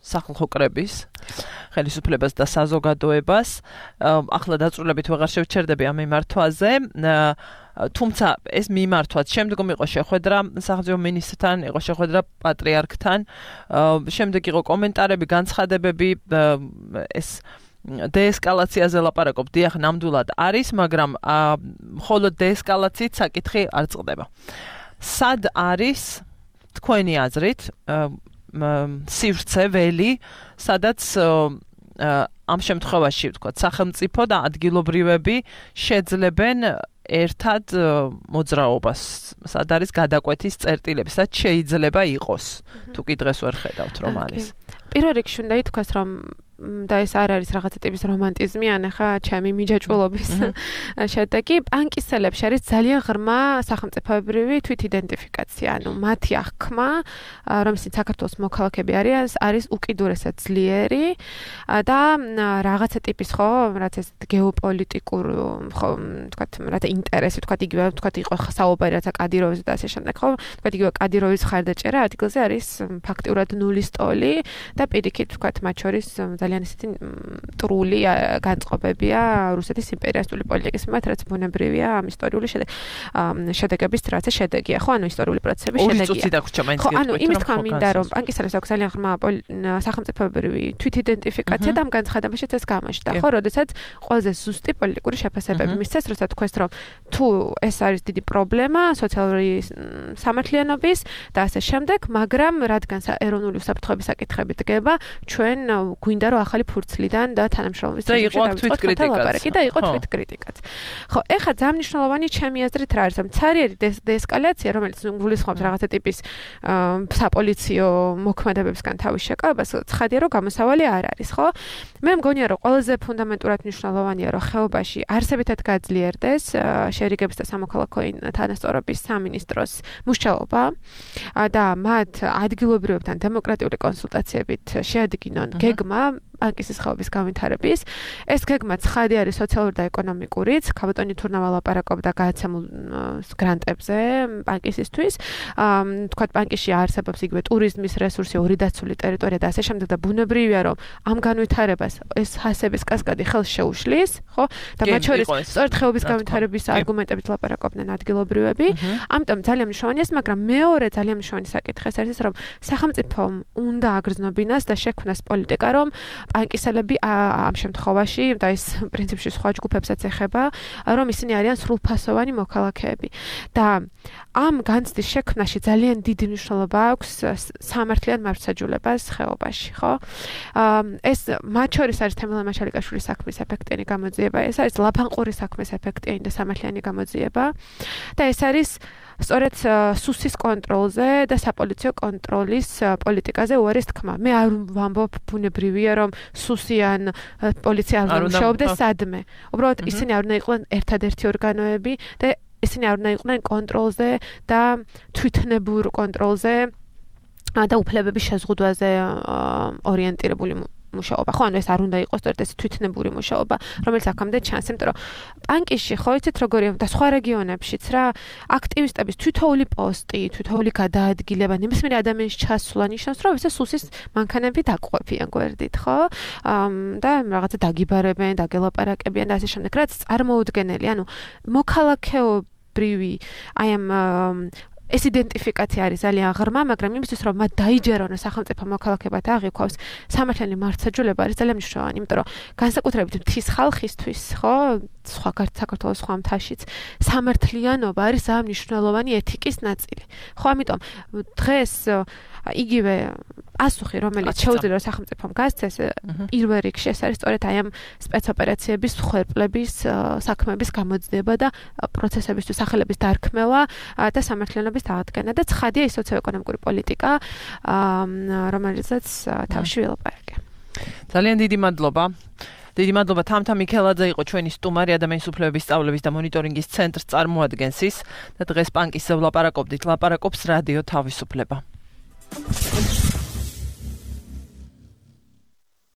Speaker 2: სახალხო კრების ხელისუფლებას და საზოგადოებას. ახლა დაწვრილებით ვეღარ შევჩერდები ამ მიმართვაზე. თუმცა ეს მიმართვაც შემდგომ იყო შეხვედრა სახელმწიფო მინისტრთან, იყო შეხვედრა პატრიარქთან, შემდეგ იყო კომენტარები, განცხადებები, ეს დეესკალაციაზე ლაპარაკობ, დიახ, ნამდვილად არის, მაგრამ მხოლოდ დეესკალაციით საკითხი არ წყდება. სად არის თქვენი აზრით სივრცე ველი, სადაც ამ შემთხვევაში ვთქვათ, სახელმწიფო და ადგილობრივები შეძლებენ ერთად მოძრაობას, სად არის გადაკვეთის წერტილები, სად შეიძლება იყოს, თუ კი დღეს ვერ ხედავთ რომ არის.
Speaker 3: პირველ რიგში უნდა ითქვას, რომ და ეს არ არის რაღაცა ტიპის რომანტიზმი, ან ახლა ჩემი მიჯაჭვულობის შედეგი, პანკისელებში არის ძალიან ღრმა სახელმწიფოებრივი თვითიდენტიფიკაცია, ანუ მათი აღქმა, რომელსაც საქართველოს მოქალაქეები არის უკიდურესად ძლიერი და რაღაცა ტიპის ხო, რაც ეს გეოპოლიტიკურ ხო, თქვათ, რათა ინტერესი, თქვათ, იგივე, თქვათ, იყო საუბარი რათა კადიროვის და ასე შემდეგ, ხო, თქვათ, იგივე კადიროვის ხარდაჭერა ადგილზე არის ფაქტიურად ნულის ტოლი და პირიქით, თქვათ, მათ შორის ძალიან ისეთი მტრული განწყობებია რუსეთის იმპერიალისტური პოლიტიკის მიმართ, რაც ბუნებრივია ამ ისტორიული შედეგების რაღაცა შედეგია, ხო, ანუ ისტორიული პროცესების შედეგია. ხო, ანუ იმის თქვა მინდა, რომ პანკისელებს აქვს ძალიან ღრმა სახელმწიფოებრივი თვითიდენტიფიკაცია და ამ განცხადებაშიც ეს გამოჩნდა, ხო, როდესაც ყველაზე ზუსტი პოლიტიკური შეფასებები მისცეს, როცა თქვეს, რომ თუ ეს არის დიდი პრობლემა სოციალური სამართლიანობის და ასე შემდეგ, მაგრამ რადგან ეროვნული უსაფრთხოების საკითხები დგება, ჩვენ გვინდა რომ ახალი ფურცლიდან და თანამშრომლობის
Speaker 2: თვითკრიტიკაც
Speaker 3: და იყო თვითკრიტიკაც. ხო, ეხლა ძალიან მნიშვნელოვანი ჩემი აზრით რა არის, რომ ცარიერი დეესკალაცია, რომელიც გულისხმობს რაღაცა ტიპის საპოლიციო მოქმედებებისგან თავის შეკავებას, ცხადია რომ გამოსავალი არ არის, ხო? მე მგონია რომ ყველაზე ფუნდამენტურად მნიშვნელოვანია რომ ხეობაში არსებითად გაძლიერდეს შერიგების და სამოქალაქო თანასწორობის სამინისტროს მუშაობა და მათ ადგილობრივებთან დემოკრატიული კონსულტაციებით შეადგინონ გეგმა პანკისის ხეობის განვითარების. ეს გეგმა ცხადი არის სოციალური და ეკონომიკურიც. ქაბატონი თურნავა ლაპარაკობდა გადაცემულ გრანტებზე პანკისისთვის. თქვათ, პანკისში არსებობს იგივე ტურიზმის რესურსი, ორი დაცული ტერიტორია და ასე შემდეგ და ბუნებრივია, რომ ამ განვითარებას ეს ჰასების კასკადი ხელს შეუშლის, ხო? და მათ შორის სწორედ ხეობის განვითარების არგუმენტებით ლაპარაკობდნენ ადგილობრივები. ამიტომ ძალიან მნიშვნელოვანია, მაგრამ მეორე ძალიან მნიშვნელოვანი საკითხი ეს არის, რომ სახელმწიფომ უნდა აგრძნობინოს და შექმნას პოლიტიკა, რომ პანკისელები ამ შემთხვევაში და ეს პრინციპში სხვა ჯგუფებსაც ეხება, რომ ისინი არიან სრულფასოვანი მოქალაქეები. და ამ განცდის შექმნაში ძალიან დიდი მნიშვნელობა აქვს სამართლიან მართლმსაჯულებას ხეობაში, ხო? ეს მათ შორის არის თემელან მაშალიკაშვილის საქმის ეფექტიანი გამოძიება, ეს არის ლაფანყურის საქმის ეფექტიანი და სამართლიანი გამოძიება და ეს არის სწორედ სუსის კონტროლზე და საპოლიციო კონტროლის პოლიტიკაზე უარის თქმა. მე არ ვამბობ ბუნებრივია რომ სუსი ან პოლიცია არ მუშაობდეს სადმე. უბრალოდ ისინი არ უნდა იყვნენ ერთადერთი ორგანოები და ისინი არ უნდა იყვნენ კონტროლზე და თვითნებურ კონტროლზე და უფლებების შეზღუდვაზე ორიენტირებული მუშაობა. ხო, ანუ ეს არ უნდა იყოს სწორედ ეს თვითნებური მუშაობა, რომელიც აქამდე ჩანს, იმიტომ რომ პანკისში ხო იცით როგორია და სხვა რეგიონებშიც რა, აქტივისტების თვითოული პოსტი, თვითოული გადაადგილება, ნებისმიერ ადამიანის ჩასვლა ნიშნავს, რომ ეს სუსის მანქანები დაკვეფიან გვერდით, ხო? და რაღაცა დაგიბარებენ, დაგელაპარაკებიან და ასე შემდეგ, რაც წარმოუდგენელი, ანუ მოქალაქეობრივი აი ამ ეს იდენტიფიკაცია არის ძალიან ღრმა, მაგრამ იმისთვის რომ მათ დაიჯერონ სახელმწიფო მოქალაქეებად აღიქვას, სამართლიანი მართლმსაჯულება არის ძალიან მნიშვნელოვანი, იმიტომ რომ განსაკუთრებით მთის ხალხისთვის, ხო, სხვა საქართველოს სხვა მთაშიც, სამართლიანობა არის ძალიან მნიშვნელოვანი ეთიკის ნაწილი. ხო, ამიტომ დღეს იგივე პასუხი, რომელიც შეუძლია სახელმწიფომ გასცეს, პირველ რიგში ეს არის სწორედ აი ამ სპეცოპერაციების ხერხლების საქმეების გამოძიება და პროცესებისთვის სახელების დარქმევა და სამართლიანობის დაადგენა და ცხადია ის სოციო-ეკონომიკური პოლიტიკა, რომელიცაც თავში ვილაპარაკე.
Speaker 2: ძალიან დიდი მადლობა. დიდი მადლობა თამთა მიქელაძე იყო ჩვენი სტუმარი ადამიანის უფლებების სწავლების და მონიტორინგის ცენტრს წარმოადგენს ის და დღეს პანკისზე ვლაპარაკობდით, ლაპარაკობს რადიო თავისუფლება.